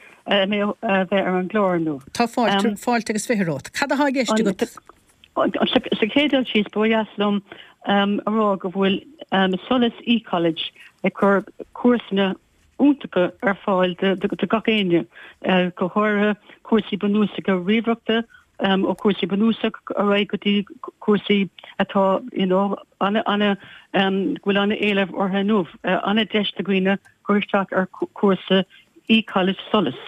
mé a bheith ar an gclár inniu. Tá fáilte, fáilte agus 20 romhat. Cad atá i gceist agat? Sa chéad dul síos, ba dheas liom a rá go bhfuil Solas eCollege ag cur cúrsanna iontacha ar fáil do gach éinne, go háirithe cúrsaí bunúsacha ríomhaireachta, ó chúrsaí bunúsach ar aghaidh go dtí cúrsaí atá you know ana ana go bhfuil ana-éileamh orthu inniu. Ana-deis do dhaoine cur isteach ar chúrsa eCollege Solas.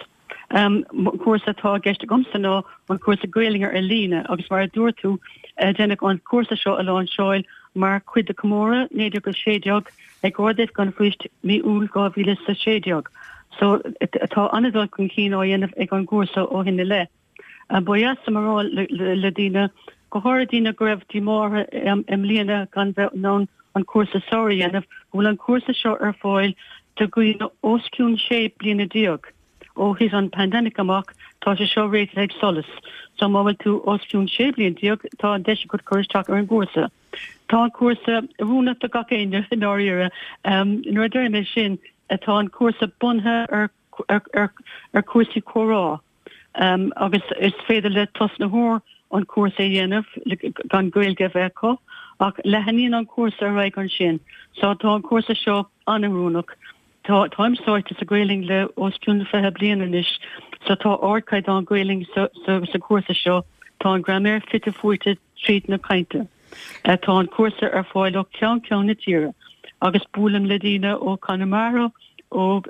An cúrsa atá i gceist agamsa ná an cúrsa Gaelainne ar líne agus mar a dúirt tú, deineadh an cúrsa seo a láinseáil mar chuid de chomóradh 1916 ag Ard-Oifig an Phoist mí Iúil 2016. So tá an-dul chun cinn á dhéanamh ag an gcúrsa ó shin i leith. Ba dheas liom a rá le daoine, go háirithe daoine go raibh díomá orthu i mbliana gan bheith in ann an cúrsa samhraidh a dhéanamh, go bhfuil an cúrsa seo ar fáil do dhaoine os cionn 16 bliana. Ó thit an pandemic amach, tá sé seo réitithe ag Solas. So má bhfuil tú os cionn 16 bliain, tá an deis agat cur isteach ar an gcúrsa. Tá an cúrsa oiriúnach do gach éinne i ndáiríre. Nuair a deirim é sin, tá an cúrsa bunaithe ar ar chúrsaí comhrá agus is féidir le tosnaitheoir an cúrsa a dhéanamh gan Gaeilge a bheith acu ach leathnaíonn an cúrsa ar aghaidh ansin. So tá an cúrsa seo an-oiriúnach. Tá táim sáite sa Ghaelainn le os cionn 20 bliain anois so tá ardchaighdeán Gaelainn sa sa chúrsa seo. Tá an graiméar fite fuaite tríd na cainte. Tá an cúrsa ar fáil ó cheann ceann na tíre agus buailim le daoine ó Conamara, ó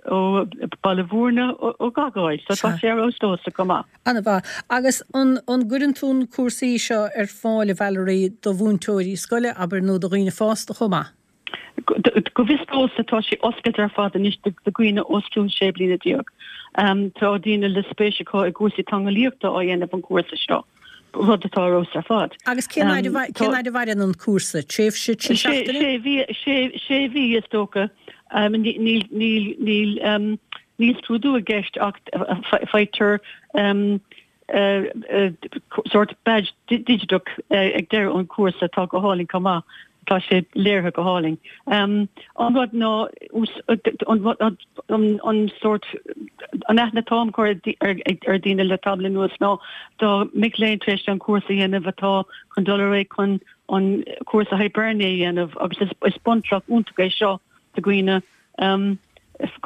Baile Bhúirne, ó gach áit, so tá sé ar fheabhas domhsa chomh maith. An-mhaith. Agus an gcuireann tú na cúrsaí seo ar fáil, a Valerie, do mhúinteoirí scoile, abair, nó do dhaoine fásta chomh maith? Go bhfios domhsa tá sé oscailte ar fad anois do dhaoine os cionn 16 bliana. Tá daoine le spéis acu i gcúrsaí teangeolaíochta á dhéanamh an cúrsa seo, rud atá ar fheabhas ar fad. Agus cén fhaid a mhaireann an cúrsa? Tréimhse trí seachtaine? Sé mhí is dócha. Níl scrúdú i gceist ach faightear sórt badge digiteach ag deireadh an chúrsa atá go hálainn chomh maith. Tá sé léirithe go hálainn. An rud ná an sórt an aithne atá á cur ar daoine le tamall anuas ná do mic léinn tar éis an cúrsa a dhéanamh atá chun dul ar aghaidh chun an cúrsa Hibernia a dhéanamh agus is bunchloch iontach é seo do dhaoine.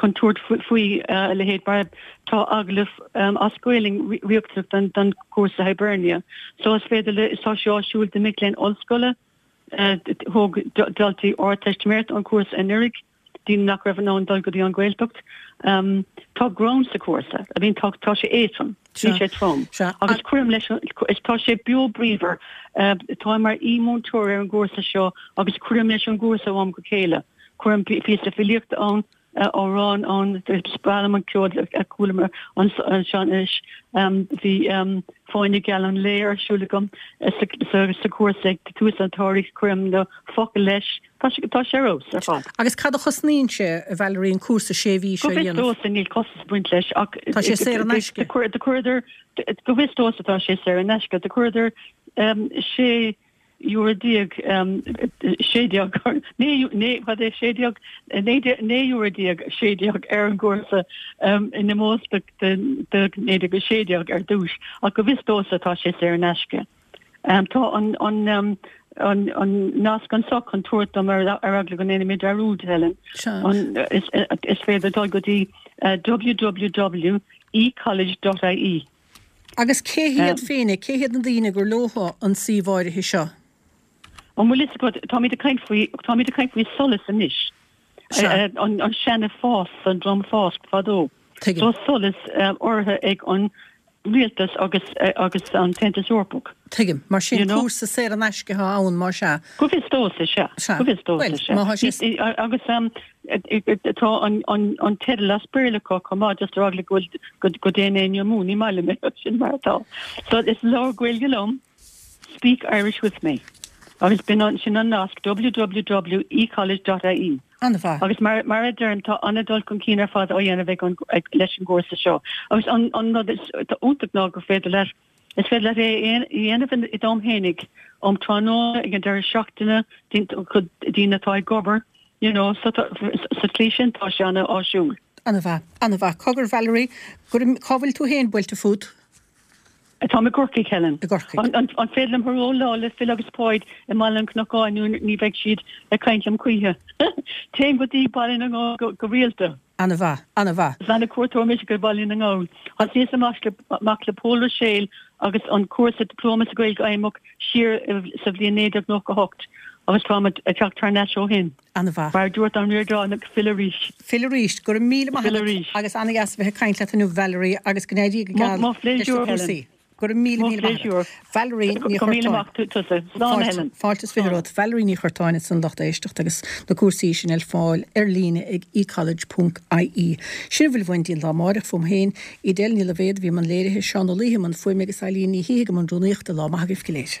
chun tabhairt faoi a leithéid mar tá agallamh as Gaelainn riachtanach don chúrsa Hibernia. So is féidir le, tá sé áisiúil do mic léinn ollscoile, thóg daltaí Ardteistiméireachta an cúrsa anuraidh, daoine nach raibh in ann dul go dtí an Ghaeltacht. Tá greann sa chúrsa, I mean tá tá sé éadrom, níl sé trom. Agus cuirim leis, is tá sé beo bríomhar. Táim mar aoi-mhúinteoir ar an gcúrsa seo agus cuirim leis an gcúrsa ó am go chéile. Cuirim píosa filíochta ann, amhrán ann, is breá liom an ceol a chualamar anseo anois. Bhí Fáinne Geal an Lae ar siúl agam sa chúrsa ag tús an tsamhraidh, cuirim na focail leis, tá sé ar fheabhas ar fad. Agus cad a chosnaíonn sé, a Valerie, an cúrsa sé mhí seo a dhéanamh? Go bhfios domhsa níl costas ag baint leis ach Tá sé saor in aisce. Do chuireadar, go bhfios domhsa tá sé saor in aisce, do chuireadar sé euro 16, 16, 9, cad é 16, 19 euro 16 ar an gcúrsa in ómós do 1916 ar dtús, ach go bhfios domhsa tá sé saor in aisce. Tá an an nasc anseo chun tabhairt dom ar eagla go ndéanfaidh mé dearúd, Helen. Is féidir dul go dtí www ecollege.ie. Agus cé hiad féin, cé hiad na daoine gur leothu an suíomh áirithe seo? An bhfuil fhios agat, táimid ag caint faoi, táimid ag caint faoi SOLAS anois. Sea. An, an seana FÁS, an dream FÁS fadó. Tuigim. So SOLAS urraithe ag an rialtas agus, agus an tAontas Eorpach. Tuigim. Mar sin You know? cúrsa saor in aisce atá ann, más ea. Go bhfios domhsa, sea. Sea. Go bhfios domhsa, Bhuel, sea. má tá sé. Agus Tá an teideal as Béarla acu chomh maith, just ar eagla go bhfuil go dtéann éinne amú, ní maith liom é, sin mar atá. So is labhair Gaeilge liom, Speak Irish with me. Agus b'in an, sin an nasc, www.ecollege.ie. An-mhaith. Agus mar, mar a deirim, tá an-dul chun cinn ar fad á dhéanamh ag an, ag, leis an gcúrsa seo. Agus an, an rud is, atá iontach ná gur féidir leat, is féidir leat é a dhéanamh i d'am fhéinig, um tráthnóna, ag an deireadh seachtaine, daoine atá ag obair, You know, so tá, sa tslí sin tá sé an-áisiúil. An-mhaith, an-mhaith. Cogar, Valerie, go raibh, cá bhfuil tú féin buailte fút? Táim i gCorcaigh, Helen. I gCorcaigh. An, an, an féidir liom hello a rá le Phil agus Páid i mBaile an Chnocáin nó ní bheidh siad ag caint liom choíche. Téim go dtí Baile na nGall go, go rialta. An-mhaith, an-mhaith. Is an-chuairteoir mise go Baile na nGall. Thosnaíos amach le, amach le Pól Ruiséal agus an cúrsa Dioplóma sa Ghaeilge Fheidhmeach siar sa bhliain 1998 agus táim ag teacht thar n-ais ó shin. An-mhaith. Mar a dúirt an Ríordánach, fill arís. Fill arís. Go raibh míle maith Fill agat arís. agus an-dheas a bheith ag caint leat inniu Valerie agus go n-éirí go Mo geal mo leis na phléisiúr, cúrsaí. Helen. Go raibh míle Mo míle maith agat. phléisiúr. Valerie Ní Go míle Churtáin. maith tusa. Slán, a Fáilte, Helen. fáilte is 20 Slán. romhat. Valerie Ní Churtáin ansan lucht éisteachta agus na cúrsaí sin ar fáil ar líne ag ecollege ponc ie. Sin a bhfuil uainn go dtí an lá amáireach fúm féin. Edel Ní Loibhéad a bhí i mbun léirithe, Seán Ó Laoithe i mbun fuaime agus Eileen Ní Shíthigh i mbun rúnaíochta. Lá maith agaibh go léir.